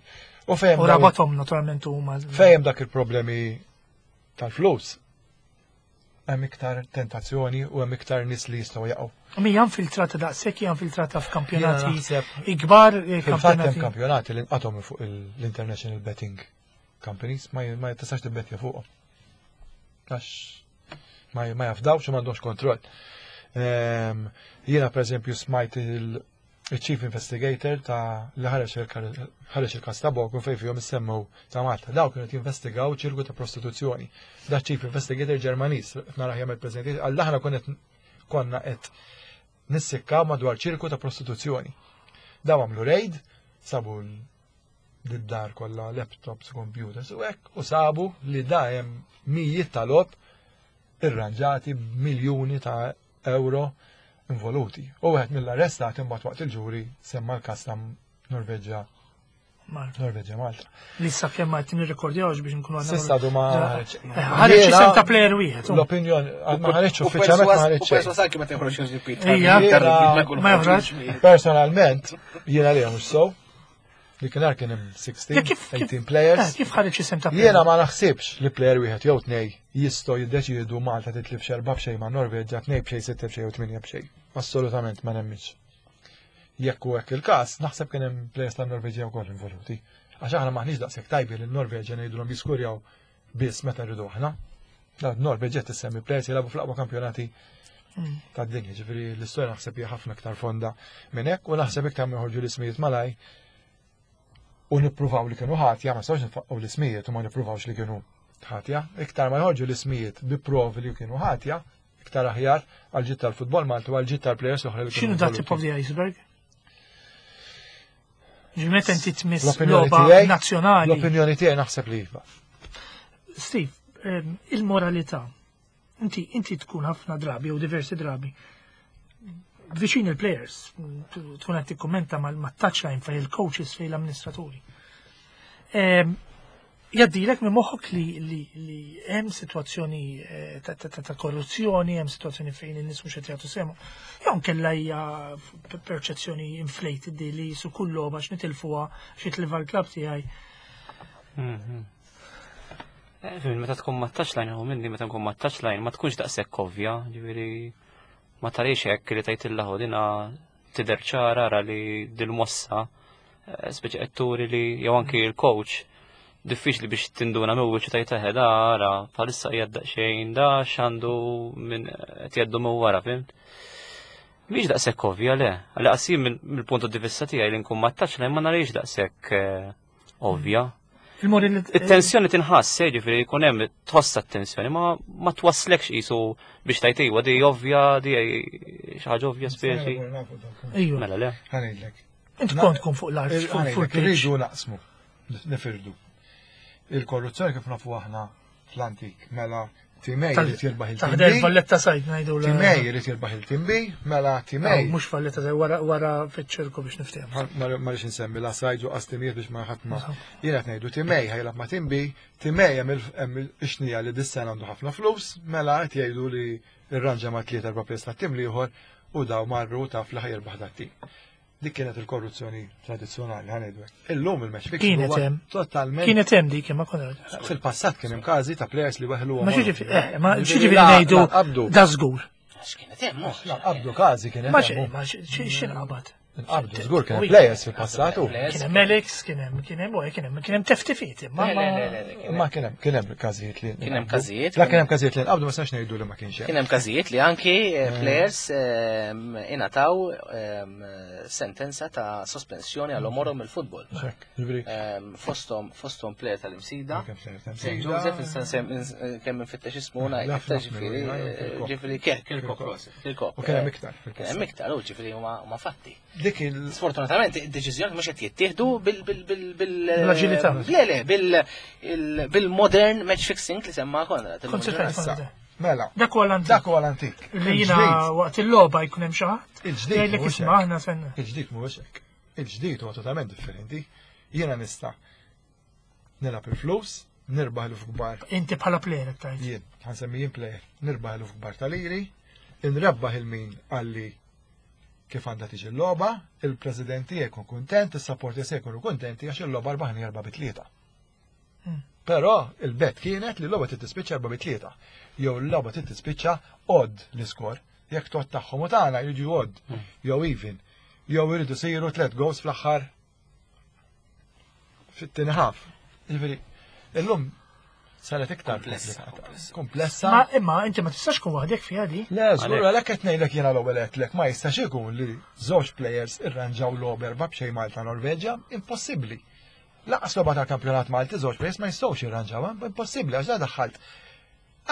U fejem. U rabatom naturalment huma.
Fejem dak il-problemi tal-flus. Hemm iktar tentazzjoni u hemm iktar nies li jistgħu jaqgħu.
Mija infiltrata daqshekk hija infiltrata f'kampjonati
naħseb
ikbar eh,
Fil-fatt hemm
kampjonati.
kampjonati li nqatgħu minn fuq l-International Betting Companies ma ma tistax tibbettja fuqhom. Għax ma jafdawx u m'għandhomx kontroll. Jiena pereżempju smajt il-Chief Investigator ta' li ħareġ il-każ ta' Boko fejn fihom issemmew ta' Malta. Daw kienu qed jinvestigaw ċirku ta' prostituzzjoni. Da Chief Investigator Ġermaniż, naraħ jagħmel presentation, għal aħna konna qed nissikkaw madwar ċirku ta' prostituzzjoni. Daw għamlu raid, sabu d-dar kollha laptops, computers u hekk, u sabu li da hemm mijiet ta' logħob irranġati b'miljuni ta' euro involuti. U wieħed mill-arrestati imbagħad waqt il-ġuri semma l-każ ta' Norveġġa
Malta.
Norveġġa Malta.
Li sa kemm ma qed nirrekordjawx biex nkunu għandna.
S'issa għadu ma ħareġ.
Eh, Ħareġ
Jiena-
isem ta' player wieħed. oh.
L-opinjoni, għad ma ħareġ uffiċjalment ma ħareġ
U
xejn.
perswas anki meta joħroġ il-pit.
Ija. Ma joħroġ.
Personalment, jiena li mhux so, li kien kien hemm 16,
Ja, kif-
18 players.
Eh, Kif ħareġ isem ta' player?
Jiena ma naħsibx li player wieħed jew tnej jistgħu jiddeċiedu Malta titlif xerba b'xejn ma' Norveġġa, tnej b'xejn, sitta b'xejn u tminja b'xejn. Assolutament ma nemminx. Jekk hu hekk il-każ, naħseb kien hemm players tan-Norveġġja wkoll involuti. Għax aħna maħniex daqshekk tajbi li l-Norveġġja ngħidulhom jiskurjaw biss meta rridu aħna. Da Norveġġja tissemmi players jilagħbu fl-aqwa kampjonati tad-dinja, ġifieri l-istorja naħseb hija ħafna iktar fonda minn hekk u naħseb iktar ma joħorġu l-ismijiet malaj u nippruvaw li kienu ħatja, ma nistgħux nfaqqgħu l-ismijiet u ma nippruvawx li kienu ħatja. Iktar ma joħorġu l-ismijiet bi provi li kienu ħatja, iktar aħjar għal ġid tal-futbol Malti u għal ġid tal-players oħra li kienu
X'inhu da tip
involuti.
of the iceberg? Ġimet inti tmiss
L-opinjoni
logħba
tiegħi-
nazzjonali.
L-opinjoni tiegħi naħseb li iva.
Steve, il-moralità. Inti inti tkun ħafna drabi jew diversi drabi viċin il-players, tkun qed tikkummenta mal-touchline fejn il-coaches fejn l-amministraturi. Jaddilek minn moħħok li li li hemm sitwazzjoni eh, ta' ta' ta' ta' korruzzjoni, hemm sitwazzjoni fejn in-nies mhux qed jagħtu sehemhom. Jew nkella hija perċezzjoni inflated di li su kull logħba x'nitilfuha x'jitlifha l-klabb tiegħi.
Fim, meta tkun ma touchline, u minni meta nkun ma touchline, ma tkunx daqshekk ovvja, ġifieri ma tarix hekk li tajt il-laħu dina tidher ċara ra li dil-mossa, speċi qed turi li jew anki l-coach diffiċli biex tinduna minn wiċċu tajt eħe da ara bħalissa qiegħed daqsxejn da x'għandu minn qed jgħaddu minn wara, fimt? Mhix daqshekk ovvja le, għalli qasim mill-punt di vista tiegħi li nkun ma touchline ma narix daqshekk ovvja.
Il-moralità
It-tensjoni tinħass, eh, ġifieri jkun hemm tħossa t-tensjoni, ma ma twasslekx qisu biex tajt iwa di ovvja, di xi ħaġa ovvja speċi.
Ejju.
Mela le.
Ħa ngħidlek.
Inti kont tkun fuq l-art, fuq fuq
Ħa ngħidlek,
il-pitch.
irridu naqsmu, nifirdu. Il-korruzzjoni kif nafu aħna fl-antik, mela Team A jrid jirbaħ il-tim
Taħdel
B,
Valletta Sajd ngħidu l
Team A jrid jirbaħ il-tim B, mela Team A
Mhux Valletta Sajd wara wara fiċ-ċirku biex niftehmu.
Ma rridx insemmi la sajd u qastimijiet biex ma ħadd ma. Jiena qed ngħidu Team A ħa jilgħab ma' Team B, Team A hemm il-xnija li dis-sena għandu ħafna flus, mela qed jgħidu li rranġa ma' tliet erba' players tat-tim l-ieħor u daw marru taf li ħa jirbaħ dat-tim. Dik kienet il-korruzzjoni tradizzjonali ħa ngħidu hekk. Illum il-match fixing
Kienet
huwa
hemm.
totalment
Kienet hemm dik imma konna.
Fil-passat kien hemm każi ta' players li weħlu
Ma xi ġifieri, eh, ma xi ġifieri ngħidu
Qabdu,
da żgur.
X'kienet hemm, mhux.
qabdu każi kien
Ma
hemm.
xi ma xi x'inqabad.
Qabdu, żgur kien hemm players fil-passat u.
Kien hemm Alex, kien hemm kien hemm u kien hemm kien hemm teftifiet imma
Le, le, le, le, le, kien
Ma kien hemm kien hemm każijiet li
Kien hemm każijiet,
La kien hemm każijiet li nqabdu ma sax ngħidu li ma kienx hemm.
Kien hemm każijiet li anki players ingħataw sentenza ta' sospensjoni għal omorhom mill-futbol.
Hekk, ġifieri,
Fosthom player tal-Imsida.
kien player ta'
St.
Msida.
Joseph, instan kemm infittex ismu
Naf,
ngħid,
naf,
ġifieri,
naf, Kirkop.
ġifieri Kirkop, Kirkop.
U kien hemm iktar
Kien
fil-passat.
hemm iktar, u ġifieri huma fatti.
Dik il
Sfortunatament, id-deċiżjoni mhux qed jittieħdu bil bil bil bil
Bl-aġilità.
Le, le, bil il- bil-modern match fixing li semma Konrad.
Konsekwenza.
issa, mela,
Dak huwa l-antik.
dak huwa l-antik.
Li jiena
Il-ġdid,
waqt il-logħba jkun hemm xi ħadd.
Il-ġdid
Jgħidlek
mhuwiex
isma'
hekk.
aħna sen.
Il-ġdid mhuwiex hekk. Il-ġdid huwa totalment differenti. Jiena nista' nilgħab il-flus, nirbaħ l kbar
Inti bħala player qed tgħid.
jien, ħa nsemmi jien player, nirbaħ l kbar tal-iri, nrebbaħ il-min għalli kif għandha tiġi l-logħba, il-president tiegħi jkun kuntent, is-supporters tiegħi jkunu kuntenti għax il-logħba rbaħni 4-3. Però il-bet kienet li l-logħba trid tispiċċa 4 bi 3. Jew l-logħba trid tispiċċa odd l-iskor. Jekk tot tagħhom u tagħna jridu odd jew even. Jew iridu siru tliet goals fl-aħħar fit-tieni ħaf. Jiġifieri, illum saret iktar
Komplessa,
komplessa. Komplessa.
Ma imma inti ma tistax kun waħdek fiha di.
Le, żgur għalhekk qed ngħidlek jiena l-ewwel għedtlek ma jistax ikun li żewġ players irranġaw logħba erba' b'xejn Malta Norveġja, impossibbli. Laqas logħba tal-kampjonat Malti żewġ players ma jistgħux jirranġaw, impossibbli għax da daħħalt.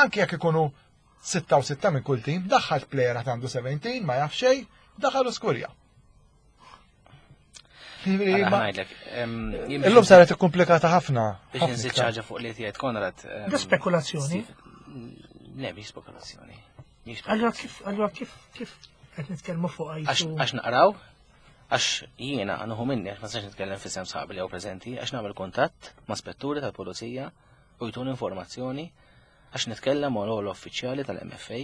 Anke jekk ikunu 6 u 6 minn kull tim, daħħalt player għad għandu 17 ma jaf xejn, daħalu skurja. Jiġifieri,
Għala,
ma-
ngħidlek, jien biex
Illum saret ikkumplikata ħafna.
Biex
ħafna
nżid
iktar.
ħaġa fuq li qed Konrad.
Da spekulazzjoni.
Le, mhix spekulazzjoni. Mhix
Allura kif allura kif kif qed nitkellmu fuq
Għax
għajtu.
għax naqraw, għax jiena nħu minni, għax ma nistax nitkellem f'isem sħabi li hawn preżenti, għax nagħmel kuntatt ma' spetturi tal-pulizija u jtuni informazzjoni, għax nitkellem ma' l uffiċjali tal-MFA,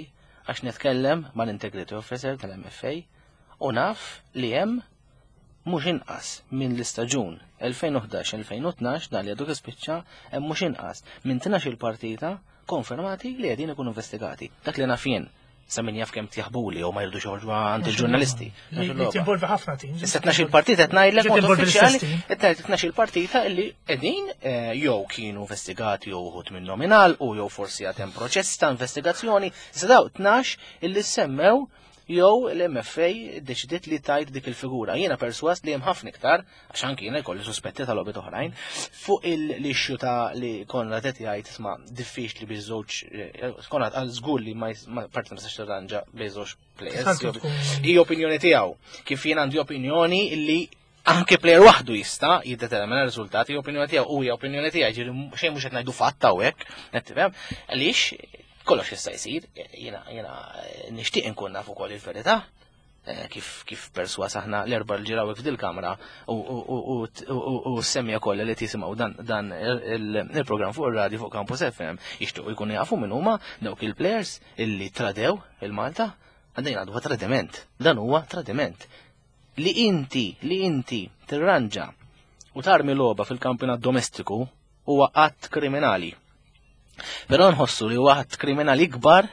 għax nitkellem ma' l-Integrity Officer tal-MFA u naf li hemm mhux inqas minn l-istaġun 2011-2012 dan li għadu kif spiċċa hemm mhux inqas minn 12 il-partita konfermati li qegħdin ikunu investigati. Dak li naf jien sa min jaf kemm tjaħbuli jew ma jridux joħorġu għand il-ġurnalisti.
Li li tinvolvi ħafna teams.
Issa 12 il-partita qed ngħidlek
Ġiet
mod
involvi
uffiċjali,
l-istess team.
qed ngħidlek 12 il-partita illi qegħdin eh, jew kienu investigati jew uħud minnhom ingħalqu jew forsi għad hemm proċess ta' investigazzjoni. Issa daw 12 illi semmew jew l-MFA deċidiet li tajt dik il-figura. Jiena perswas li hemm ħafna iktar, għax anki jiena jkolli suspetti ta' logħbiet oħrajn, fuq il-issue ta' li Konrad qed jgħid isma' diffiċli biex żewġ eh, Konrad għal żgur li ma jis- ma- parti ma tistax tirranġa bejn żewġ players.
Tista' tkun-
Hi opinjoni tiegħu. Kif jien għandi opinjoni li anke player waħdu jista' jiddetermina r-riżultati, hi opinjoni tiegħu u hija opinjoni tiegħi, ġifieri xejn mhux qed ngħidu fatt hawnhekk, qed tifhem? Għaliex kollox jista' jsir, jiena jiena nixtieq inkun naf ukoll il-verità. Eh, Kif kif perswas aħna l-erba' l ġiraw f'dil-kamra u u u u u semmija kollha li tisimgħu dan dan il-programm fuq ir-radju fuq Campus FM jixtiequ jkunu jafu min huma dawk il-players illi tradew il-Malta għandejn għadu tradiment. Dan huwa tradiment. Li inti, li inti tirranġa u tarmi logħba fil-kampjonat domestiku huwa att kriminali. Però nħossu li huwa att kriminali ikbar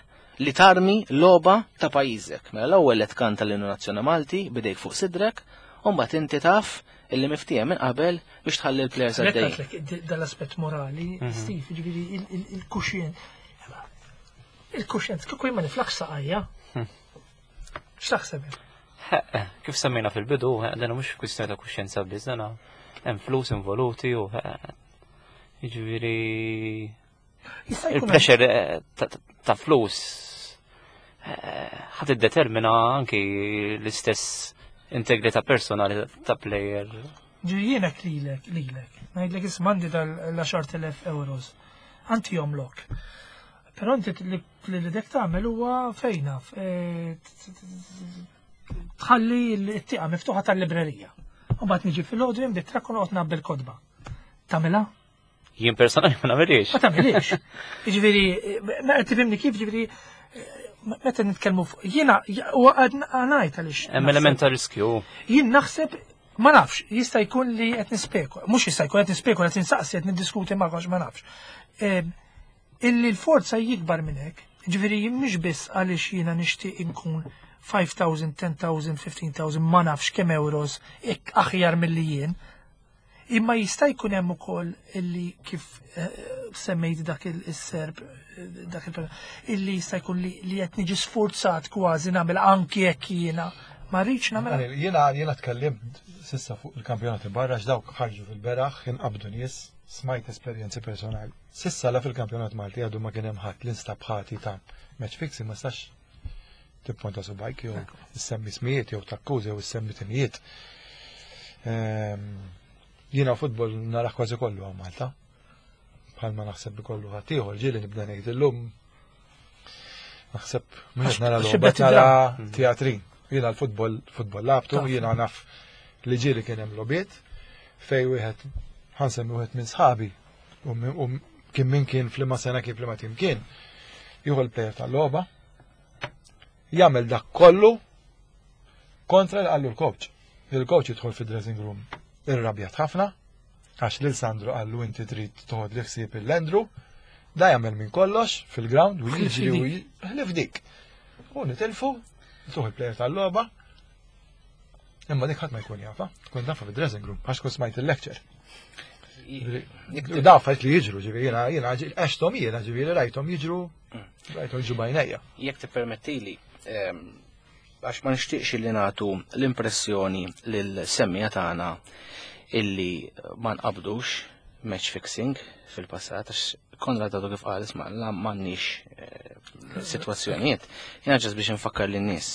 li tarmi logħba ta' pajjiżek. Mela l-ewwel qed tkanta l-Innu Nazzjonali Malti bidejk fuq sidrek, u mbagħad inti taf illi miftiehem minn qabel biex tħalli l-players għaddejjin.
Għedtlek dal-aspett morali, Steve, ġifieri il-kuxjen. Il-kuxjen, kieku jien ma niflax saqajja. X'taħseb?
Eh, Kif semmejna fil-bidu, eh, dan mhux kwistjoni ta' kuxjenza biss, dan hemm flus involuti u eh, jiġifieri
Jista' jkun hemm-
il-pressure eh, ta- ta- ta' flus eh, ħad iddetermina anki l-istess integrità personali ta' player.
Ġifieri jienek lilek, lilek. Ngħidlek isma' għandi dal-10,000 euros. Anti jomlok. Però inti li li dek tagħmel huwa fejna eh, tħalli l-tieqa miftuħa tal-librerija. U mbagħad niġi fil-ħodu jien bit trakk u noqgħod nabbi l-kotba. Tagħmilha?
Jien personali ma nagħmilix.
Ma tagħmilix. Jiġifieri, ma qed tifhimni kif ġifieri eh, meta nitkellmu fuq jiena huwa ngħid għaliex.
Hemm element ta' riskju.
Jien naħseb ma nafx, jista' jkun li qed nispekula, mhux jista' jkun qed nispekula, qed insaqsi qed niddiskuti ma ma nafx. Em, Illi l-forza jikbar minn hekk, ġifieri jien mhux biss għaliex jiena nixtieq inkun 5,000, 10,000, 15,000, ma nafx kemm euros ik aħjar milli jien. Imma jista' jkun hemm ukoll illi kif eh, semmejt dak il-serb eh, dak il illi jista' jkun li li qed niġi sforzat kważi nagħmel anki jekk jiena ma rridx nagħmel.
Daniel, Jiena jiena tkellimt sissa fuq il-kampjonati barra x'dawk ħarġu fil-beraħ, inqabdu nies, smajt esperjenzi personali. Sissa la fil-kampjonat Malti għadu ma kien hemm ħadd li nstab ħati ta' match fixing ma stax tipponta subajk jew issemmi smijiet jew takkużi jew issemmi timijiet. Ehm, Jiena futbol naraħ kważi kollu għal Malta. Bħalma naħseb bi kollu ħadd ieħor ġieli nibda ngħid illum naħseb mhux qed nara
Għax
logħba
xibet
nara
id-dram.
teatrin. Jiena l-futbol futbol labtu,
Taf.
jiena naf li ġieli kien hemm logħbiet fej wieħed ħansemmi wieħed minn sħabi u min- u kien min kien f'liema sena kien f'liema tim kien. Jieħu l-plejer tal-logħba, jagħmel dak kollu kontra li qallu l-coach. Il-coach jidħol fid-dressing room irrabjat ħafna. Għax lil Sandro qallu inti trid toħod li ħsieb il-Andrew, da jagħmel minn kollox fil-ground u jiġri u ħlif dik. U nitilfu, tuħ il-player tal-logħba. Imma dik ħadd ma jkun jafa, tkun tafa fid-dressing room, għax tkun smajt il-lecture. Da affarijiet li jiġru, ġifieri jiena jiena għexthom jiena ġifieri rajthom jiġru rajthom jiġru bajnejja.
Jekk tippermettili, għax ma nixtieqx li nagħtu l-impressjoni lil semmija tagħna illi ma nqabdux match fixing fil-passat, għax Konrad għadu kif qal isma' la m'għandniex eh, sitwazzjonijiet. Jiena ġas biex nfakkar lin-nies.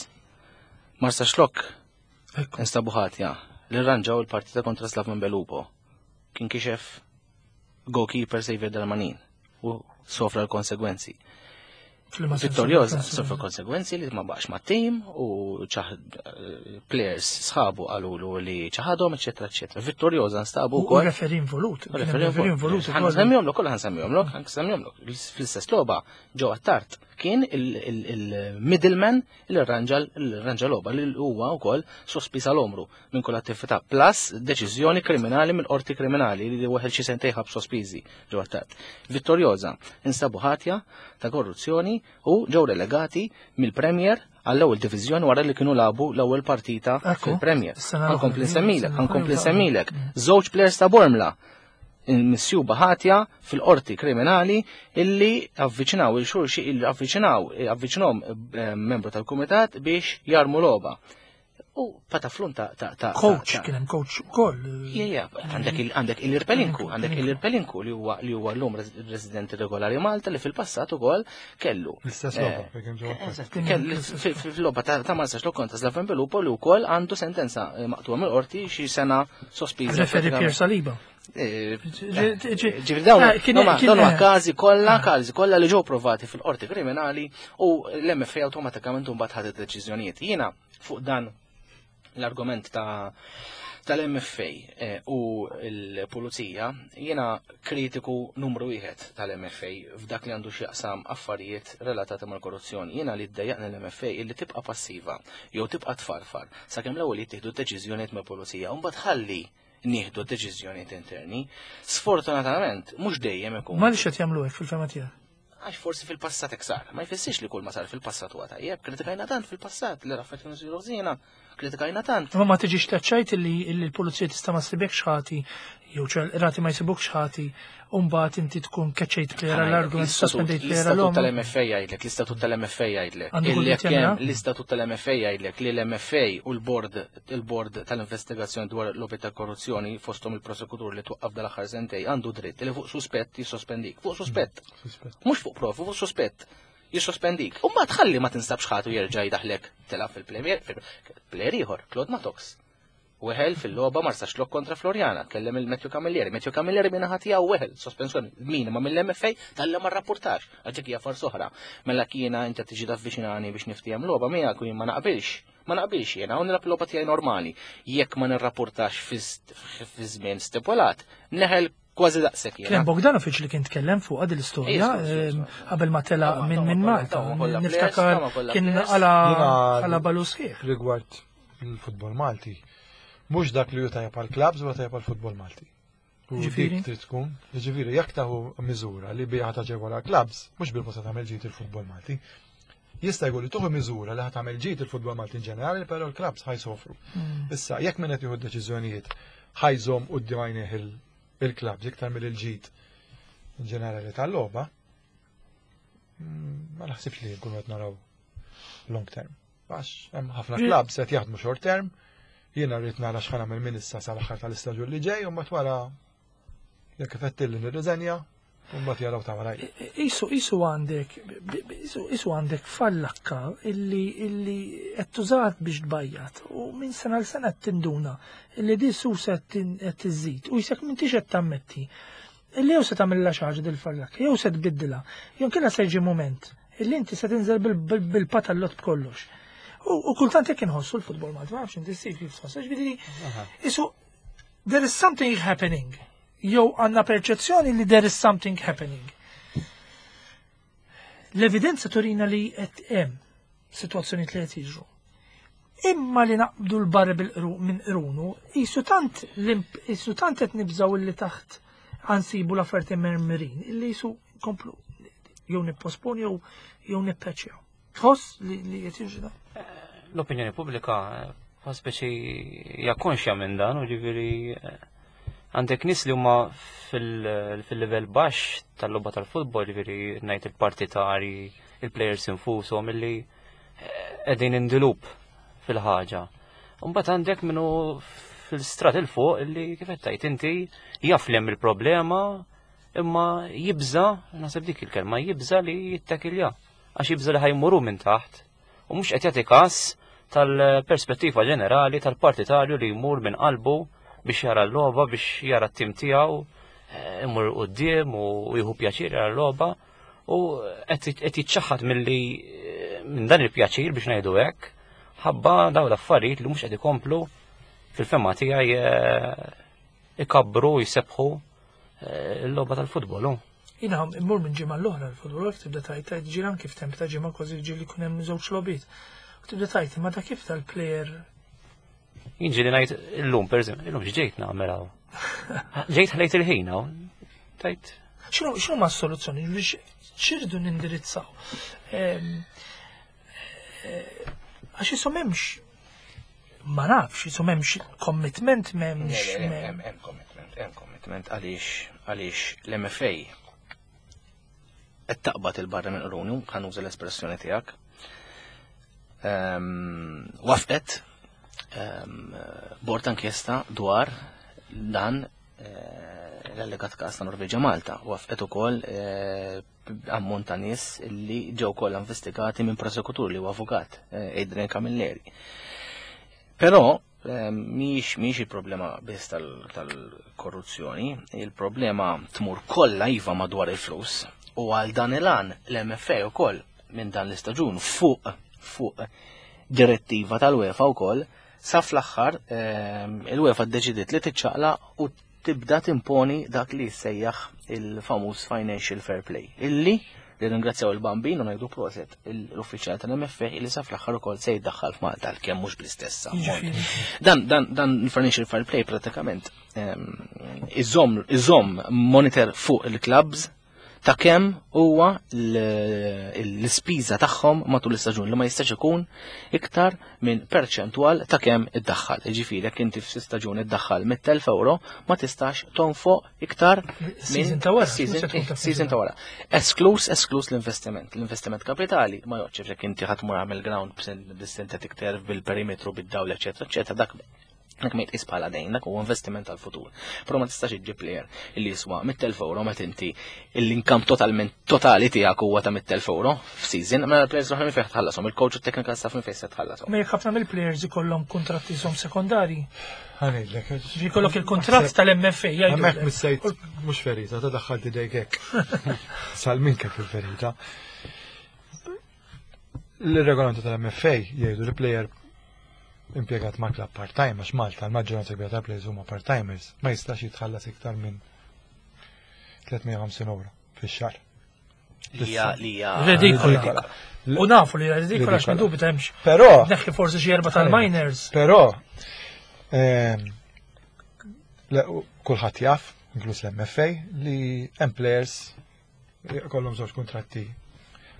Marsa Xlok instabu ħatja li rranġaw il-partita kontra Slaven Belupo. Kien kixef goalkeeper Xavier Darmanin u sofra l-konsegwenzi. Vittoriosa sofra konsegwenzi li ma baqax ma' tim u eh, players sħabu qalulu li ċaħadhom, eċetera, eċetera. Vittoriosa nstabu
wkoll. Referi involut.
Referi involut. Ħansemmihomlok, kollha ħansemmihomlok, ħansemmihomlok. Fl-istess logħba ġew Attard kien il-middleman li rranġa rranġa logħba li huwa wkoll sospiż għal omru minn kull attività plus deċiżjoni kriminali mill-qorti kriminali li weħel xi sentejn ħabs sospiżi ġew Attard. Vittoriosa instabu ħatja ta' korruzzjoni u ġew relegati mill-Premier għall-ewwel diviżjoni wara li kienu labu l-ewwel partita fil-Premier. Ħankompli nsemmilek, ħankompli nsemmilek. Żewġ players ta' Bormla misjuba ħatja fil-qorti kriminali illi avviċinaw il-xulxi illi avviċinaw avviċinhom eh, membru tal-kumitat biex jarmu logħba. U pataflun ta' ta' ta'
Coach, kien hemm coach ukoll.
Ija, għandek għandek il-Irpelinku, għandek il-Irpelinku li huwa li huwa llum residenti regolari Malta li fil-passat ukoll kellu.
L-istess logħba eh, kien
ġewwa. Fil-logħba ta' Marsa Xlok kontra Slaven Belupo li wkoll għandu sentenza eh, maqtuha mill-qorti xi sena sospiża.
Referi Pier Saliba.
Eh, ġifieri dawn dawn huma każi kollha, ah. każi kollha li ġew provati fil-qorti kriminali u l-MFA awtomatikament mbagħad ħadet deċiżjonijiet. Jiena fuq dan l-argument ta' tal-MFA eh, u l-pulizija, jiena kritiku numru wieħed tal-MFA f'dak li għandu x'jaqsam affarijiet relatati mal-korruzzjoni. Jiena li ddejjaqni l-MFA illi tibqa' passiva jew tibqa' tfarfar sakemm l-ewwel jittieħdu deċiżjonijiet mill-pulizija u mbagħad ħalli nieħdu deċiżjonijiet interni. Sfortunatament, mhux dejjem ikun.
Ma qed jagħmlu hekk fil-fema tiegħek?
Għax forsi fil-passat hekk sar. Ma jfissirx li kull ma sar fil-passat huwa tajjeb. Kritikajna tant fil-passat li raffet kienu siru ħżiena. Kritikajna tant.
Ma ma tiġix taċċajt li l-pulizija tista' ma ssibekx ħati jew ċel rati ma jsibukx ħati u mbagħad inti tkun keċċejt player għall-argument sospendejt player
L-istatut tal-MFA jgħidlek, l-istatut tal-MFA jgħidlek. L-istatut tal-MFA jgħidlek li l-MFA u l-board il-bord tal-investigazzjoni dwar lobby ta' korruzzjoni fosthom il-prosekutur li twaqqaf dal-aħħar sentej għandu dritt li fuq suspett jissospendik. Fuq suspett. Mhux fuq provi, fuq suspett. Jissospendik. U ma tħalli ma tinstabx ħatu jerġa' jdaħlek tilgħab fil-Premier, fil-player ieħor, Claude Matox. Weħel fil-logħba Marsaxlokk kontra Floriana, kellem il-Matthew Camilleri. Matthew Camilleri minn ħadd tiegħu weħel sospensjoni minima mill-MFA tal-li ma rrapportax, għax dik hija farsa oħra. Mela kiena inti tiġi tavviċinani biex niftiehem logħba miegħek u jien ma naqbilx. Ma naqbilx jiena u nilgħab logħba tiegħi normali. Jekk ma nirrapportax fi żmien stipulat, neħel kważi daqshekk jiena.
Kien Bogdanovic li kien tkellem fuq din l-istorja qabel ma tela minn minn Malta. Niftakar kien għala balu sħiħ.
Rigward il-futbol Malti, mhux dak li hu tajjeb għall-klabbs huwa tajjeb għall-futbol Malti. Ġifieri trid tkun, ġifieri jekk taħu miżura li biha taġevola klabbs, mhux bil-posta tagħmel ġid il-futbol Malti. Jista' jkun li tuħu miżura li tagħmel ġid il-futbol Malti in ġenerali, però l-klabbs ħajsofru. Issa, jekk min qed jieħu deċiżjonijiet ħajżhom quddiem għajnejh il-klabbs iktar mill-ġid in ġenerali tal-logħba, ma naħsibx li nkunu qed naraw long term. Għax hemm ħafna klabbs qed jaħdmu short term, jiena rrid nara x'ħa nagħmel minn issa sal-aħħar tal-istaġun li ġej u mbagħad wara jekk ifettilli nirriżenja u mbagħad jaraw ta' waraj.
Isu isu għandek isu għandek fallakka illi illi qed tużat biex tbajjat u minn sena l sena qed tinduna illi di susa qed tiżid u jisek m'intix qed tammetti illi jew se tagħmilha xi ħaġa dil-fallakka jew se tbiddilha jew kien se jiġi mument illi inti se tinżel bil-patallot b'kollox. U kultant jekk inħossu l-futbol Malti, ma nafx inti ssib kif tħoss, ġifieri isu there is something happening. Jew għandna perċezzjoni li there is something happening. L-evidenza turina li qed hemm sitwazzjonijiet li qed jiġru. Imma li naqbdu l-barri bil-qru minn qrunu, qisu tant qisu tant qed nibżgħu illi taħt għansibu l-affarijiet immermirin, illi qisu nkomplu jew nipposponi jew jew nippeċjaw. Tħoss li li qed jiġri dan?
L-opinjoni pubblika eh, speċi hija konxja minn dan u ġifieri eh, għandek nies li huma fil-livell baxx tal-logħba tal-futbol, ġifieri ngħid il-partitari, il-players infushom illi qegħdin indilup fil-ħaġa. Mbagħad għandek minnu fil-strat il fuq illi kif qed tgħid inti jaf li hemm il-problema imma jibża, naħseb dik il-kelma, jibża li jittakilja għax jibża li ħajmuru minn taħt u mhux qed jagħti każ tal-perspettiva ġenerali tal-partitarju li jmur minn qalbu biex jara l-logħba, biex jara t-tim tiegħu, eh, imur quddiem u jieħu pjaċir jara l-logħba. U qed jiċċaħħad milli minn dan il-pjaċir biex ngħidu hekk, ħabba dawn l-affarijiet li mhux qed ikomplu fil-fema tiegħi eh, ikabbru jsebħu eh, l-logħba tal-futbol.
Jina immur minn ġimgħa l-oħra l-futbol tibda tajt tajt ġiran kif temp ta' ġimgħa kważi ġieli jkun hemm żewġ logħbiet. U tibda tajt imma ta' kif tal-plejer
Jien ġieli ngħid illum pereżempju, illum x'ġejt nagħmel hawn. Ġejt ħlejt il-ħin hawn. Tajt.
X'inhu x'inhu ma s-soluzzjoni? X'irdu nindirizzaw? Ehm, eh, għax isom hemmx ma nafx, isom hemmx commitment m'hemmx.
Hemm commitment, hemm commitment għaliex għaliex l-MFA qed taqbad il-barra minn qrunu, ħanuża l-espressjoni tiegħek. Ehm, wafqet ehm, bord inkjesta dwar dan eh, l-allegat każ ta' Norveġa Malta. Wafqet ukoll eh, ammont ta' nies li ġew kollha investigati minn prosekutur li huwa avukat eh, Adrian Camilleri. Però Mhix mhix il-problema biss tal-korruzzjoni, il-problema tmur kollha iva madwar il-flus u għal dan il-għan l-MFA ukoll minn dan l-istaġun fuq fuq direttiva tal-UEFA wkoll sa fl-aħħar ehm, il-UEFA ddeċidiet li tiċċaqla u tibda timponi dak li jissejjaħ il-famuż Financial Fair Play, illi nirringrazzjaw il-Bambin u ngħidu proset l-uffiċjal tal-MFA illi sa fl-aħħar ukoll se jiddaħħal f'Malta għalkemm mhux bl-istess ammont. Dan dan dan il-Financial Fair Play pratikament ehm, iżomm iżomm monitor fuq il-clubs ta' kemm huwa l-ispiża tagħhom matul l-istaġun li ma jistax ikun iktar minn perċentwal ta' kemm iddaħħal. Jiġifieri jekk inti f'staġun iddaħħal 100,000 euro ma tistax tonfoq iktar
minn ta' wara.
Season ta' wara. Esklus, esklus l-investiment. L-investiment kapitali ma joqgħodx jekk inti ħadd mur għamel ground bis-synthetic turf bil-perimetru bid-dawl eċetera eċetera dak Dak ma jitqis bħala dejn, dak huwa investiment tal-futur. Però ma tistax iġġib player li jiswa 100,000 euro meta inti l-inkam totalment totali tiegħek huwa ta' 100,000 euro f'season, mela l-players l-oħra minn fejn tħallasom, il-coach u technical staff minn fejn se tħallasom.
Ma jekk ħafna mill-players ikollhom kuntratti som sekondari.
Ħanejlek.
Jkollok il-kuntratt tal-MFA jgħidu.
Hemmhekk missejt mhux ferita ta' daħħalt idejk hekk. Salmin kif il-ferita. L-regolamenti tal-MFA jgħidu li player impjegat ma' club part-time, għax Malta l-maġġoranza kbira ta' players huma part-timers, ma jistax jitħallas iktar minn 350 euro fix-xahar.
Lija
Ridikola. U nafu li ridikola għax dubi hemmx.
Però.
Neħħi forsi xi erba' tal-miners.
Però ehm, kulħadd jaf, inkluż l-MFA, li hemm players Kollhom żewġ kuntratti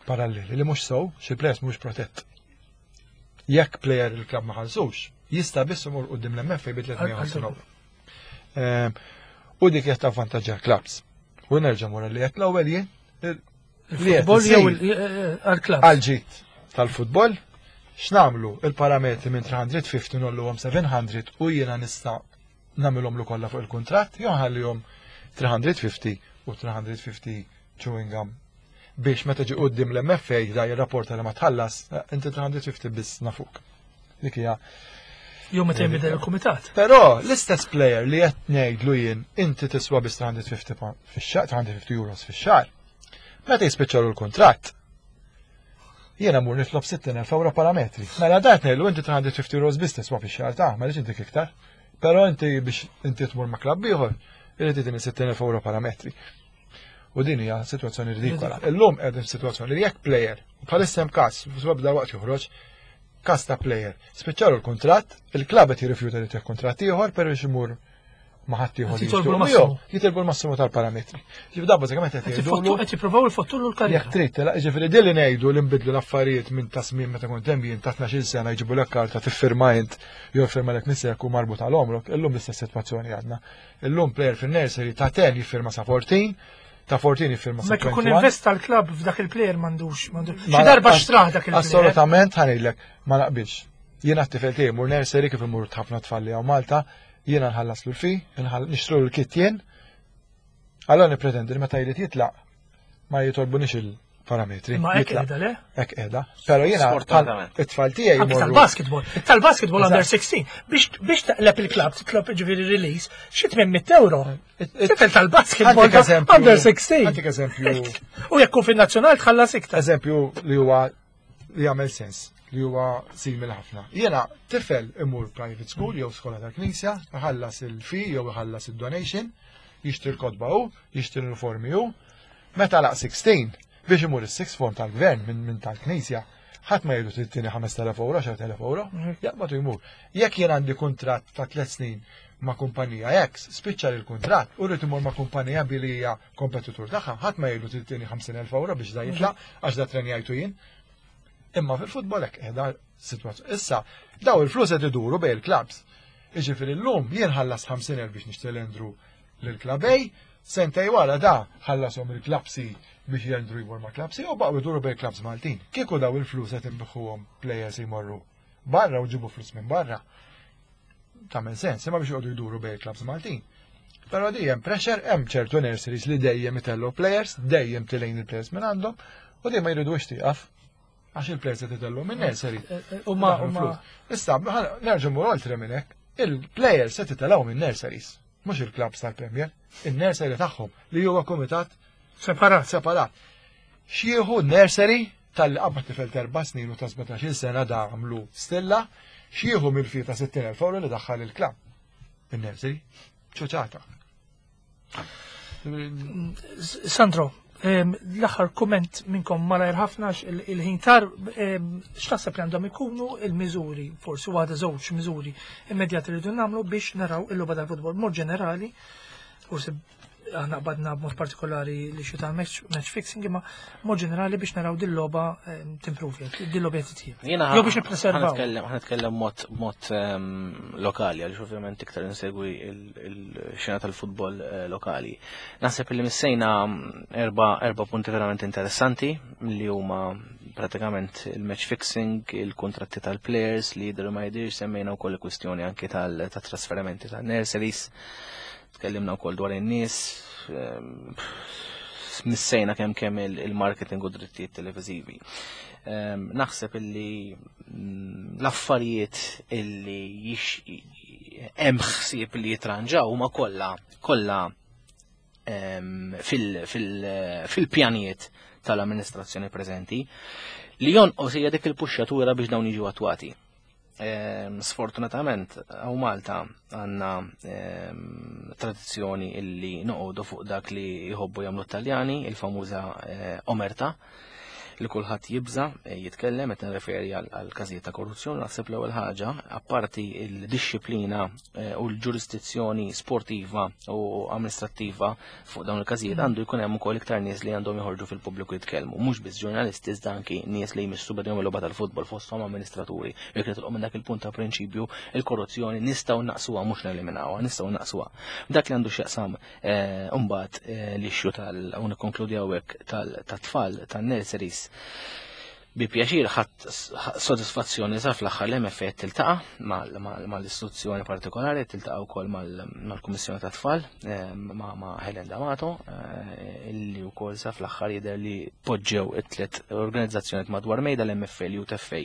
paralleli li mhux sew, xi players mhux protett. Jekk player il-klabb ma ħallsux, jista' biss imur quddiem l-MFA bi 350 euro. Ehm, u dik qed tavvantaġġja l-klabbs. U nerġa' mura li qed l-ewwel jien
li qed jew għall-klabb.
Għal-ġid tal-futbol, x'nagħmlu il-parametri minn 350 nolluhom 700 u jiena nista' nagħmilhomlu kollha fuq il-kuntratt jew nħallihom 350 u 350 chewing gum biex meta ġi qudiem l-MFA da jirrapporta li ma tħallas, eh, inti 350 biss nafuk. Dik hija
Jew meta jinbidel il-kumitat.
Però l-istess player li qed ngħidlu jien inti tiswa biss 350 pound fix-xahar, 350 euros fix-xahar. Meta jispiċċalu l-kuntratt, Jiena mur nitlob 60,000 euro parametri. Mela dat ngħidlu inti 350 euros biss tiswa fix-xahar ta' ma rridx intik iktar. Però inti biex inti tmur ma' klabb ieħor, irid itini 60,000 euro parametri. U din hija sitwazzjoni ridikola. Illum qegħdin f'sitwazzjoni li jekk player, bħalissa hemm każ, bda waqt joħroġ, Każ ta' player, spiċċalu l-kuntratt, il-klabb qed jirrifjuta li tih kuntratt ieħor però biex imur ma' ħadd ieħor.
Jitolbu l-massimu.
Jitolbu l-massimu tal-parametri. Ġifieri da bażikament qed jgħidu.
Qed jippruvaw ifottulu l-karriera.
Jekk trid, ġifieri din li ngħidu li nbidlu l-affarijiet minn ta' żmien meta kont hemm jien ta' 12-il sena jġibulek karta tiffirma int jew jiffirmalek missierek u marbut għal għomrok, illum l-istess sitwazzjoni għadna. Illum player fin-nursery ta' 10 jiffirma sa 14, ta' 14 jiffirma sa
21. Meta investa l-klabb f'dak il-player m'għandux, m'għandux. Xi darba xtrah dak il-player.
Assolutament ħanejlek, ma naqbilx. Jiena t-tifel tiegħi mur nursery kif imur ħafna tfal li hawn Malta, jiena nħallaslu l-fi, nixtru l-kit jien. Allora nippretendi li meta jrid jitlaq ma jitolbunix il-parametri.
Ma hekk qiegħda le?
Hekk qiegħda. Però jiena it-tfal tiegħi
jmorru. Tal-basketball, tal-basketball under 16 biex biex taqleb il-klabb titlob ġifieri release xi 800 euro. Tifel tal-basketball under 16.
Għandik eżempju.
U jekk fin-nazzjonal tħallas iktar.
Eżempju li huwa li jagħmel sens li huwa simil ħafna. Jiena tifel imur private school jew skola tal-knisja, iħallas il-fee jew iħallas il-donation, jixtri l-kotba hu, jixtri l-uniformi hu. Meta laq 16 biex imur is-sixth form tal-gvern minn min tal-knisja, ħadd ma jgħidu tittini 5000 euro, 10,000 euro, jaqbad u jmur. Jekk jien għandi kuntratt ta' tliet snin ma' kumpanija X, spiċċa l-kuntratt u rrid imur ma' kumpanija B li hija kompetitur tagħha, ħadd ma jgħidu tittini 50,000 euro biex da jitlaq għax da trenjajtu jien. Imma fil-futbol hekk qiegħda sitwazzjoni. Issa, daw il-flus qed iduru bejn il-klabs. Jiġifieri llum jien ħallas 50,000 biex nixtri l-Andrew lil-klabb A, sentej wara da ħallashom il-klabb C biex Andrew jmur ma' klabb C u baqgħu iduru bejn il-klabs Maltin. Kieku daw il-flus qed inbiħuhom players jmorru barra u ġibu flus minn barra. Tagħmel sens, imma biex joqogħdu jduru bejn il-klabs Maltin. Però di hemm pressure, hemm ċertu nurseries li dejjem itellu players, dejjem tilejn il-players minn għandhom, u dejjem ma jridux tieqaf għax il-players qed itellu minn nursery.
Eh, eh, u ma
Issa, nerġgħu mur oltre minn hekk, il-players qed itelgħu minn nurseries, mhux il-klabs tal-Premier, il-nursery tagħhom li huwa kumitat
separat.
Separat. Xieħu nursery tal-li qabad tifel ta' erba' snin u ta' 17-il sena da għamlu stilla, xieħu mill-fi ta' 60,000 euro li daħħal il-klabb. In-nursery, ċuċata.
Sandro, l-aħħar kumment minnkom malajr ħafna il-ħin tar, x'taħseb li għandhom ikunu il-miżuri, forsi waħda żewġ miżuri immedjati li rridu nagħmlu biex naraw il-logħba tal-futbol mod ġenerali, forsi aħna qbadna b'mod partikolari li xi tal-match fixing imma mod ġenerali biex naraw din logħba ehm, timpruvja, din logħba titjib.
Jiena
Jew biex nippreservaw.
Ħa nitkellem mod mod ehm, lokali għaliex ovvjament iktar insegwi il-xena tal-futbol eh, lokali. Naħseb li missejna mm, erba, erba punti verament interessanti li huma pratikament il-match fixing, il-kontratti tal-players li jidher ma jidirx semmejna wkoll il-kwistjoni anki tal-trasferimenti tal-nurseries. Tkellimna wkoll dwar in-nies, ehm, missejna kemm kemm il-marketing u drittijiet televiżivi. Ehm, naħseb illi mm, l-affarijiet illi hemm ħsieb li jitranġaw huma kollha kollha ehm, fil-pjanijiet tal-amministrazzjoni preżenti li jonqos hija dik il-puxxatura biex dawn jiġu attwati. Ehm, sfortunatament, għaw Malta għanna ehm, tradizzjoni illi noqogħdu fuq dak li jħobbu jagħmlu Taljani, il-famuża eh, omerta, li kulħadd jibża eh, jitkellem qed nirreferi għal każijiet ta' korruzzjoni, naħseb l-ewwel ħaġa, apparti il-dixxiplina eh, u l-ġurisdizzjoni sportiva u amministrattiva fuq dawn il-każijiet għandu jkun hemm ukoll iktar nies li għandhom joħorġu fil-pubbliku jitkellmu, mhux biss ġurnalisti iżda anki nies li jmissu b'din il-logħba tal-futbol fosthom amministraturi. Jekk nitilqu minn dak il-punt ta' prinċipju, il-korruzzjoni nistgħu naqsuha mhux neliminawha, nistgħu naqsuha. Dak li għandu x'jaqsam eh, mbagħad eh, l-issue tal u nikkonkludi hawnhekk tat-tfal tan-nurseries Bi pjaċir ħadd sodisfazzjoni sa fl-aħħar l-MFA tiltaqa' mal-istituzzjoni partikolari, tiltaqa' wkoll mal-Kummissjoni ta' Tfal eh, ma' Helen D'Amato, eh, illi wkoll sa fl-aħħar jidher li poġġew it-tliet organizzazzjonijiet madwar mejda l-MFA, l-UTFA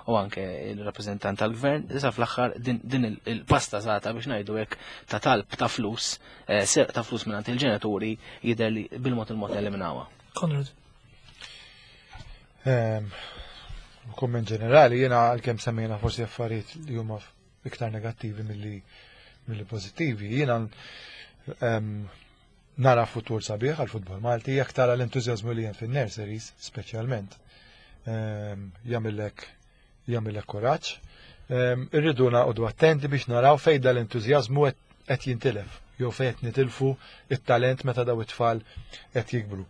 u anke il-rappreżentant tal-gvern, sa fl-aħħar din il-pasta zata biex ngħidu hekk ta' talb ta' flus, eh, serq ta' flus mingħand il-ġenituri jidher li bil-mod il-mod eliminawha.
Konrad.
Ehm, kumment ġenerali, jiena għalkemm semmejna forsi affarijiet li huma iktar negattivi milli milli pożittivi, jiena ehm, nara futur sabiħ għal futbol Malti, jekk tara l-entużjażmu li hemm fin-nurseries, speċjalment, ehm, jagħmillek Jagħmilek kuraġġ. Irridu naqogħdu attenti biex naraw fejn dal-entużjażmu qed jintilef jew fejn qed nitilfu it-talent meta daw it-tfal qed jikbru.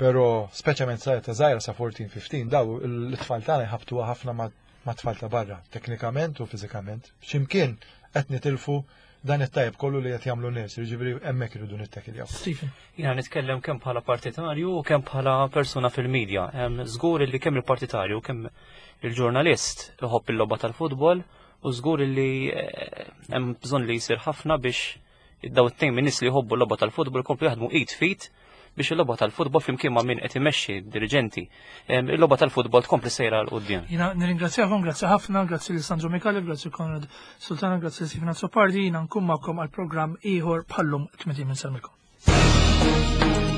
Però speċjalment sa ta' żgħira sa 14-15 daw l-tfal tagħna jħabtuha ħafna ma' tfal ta' barra, teknikament u fiżikament. X'imkien qed nitilfu dan it-tajb kollu li qed jagħmlu nies, jiġifieri hemmhekk irridu nittekiljaw.
Stephen.
Jiena nitkellem kemm bħala partitarju u kemm bħala persuna fil-medja. Żgur li kemm il-partitarju kemm il-ġurnalist iħobb il-logħba tal-futbol u żgur li eh, hemm bżonn li jsir ħafna biex daw it-tejn minn nies li jħobbu l-logħba tal-futbol jkomplu jaħdmu id fit biex il-logħba tal-futbol flimkien ma' min qed imexxi diriġenti. Il-logħba tal-futbol tkompli sejra 'l quddiem.
Jiena nirringrazzjakom, grazzi ħafna, grazzi lil Sandro Micallef, grazzi Konrad Sultana, grazzi lil Stephen Azzopardi, jiena nkun magħkom għal programm ieħor bħallum 80 minn Salmilkom.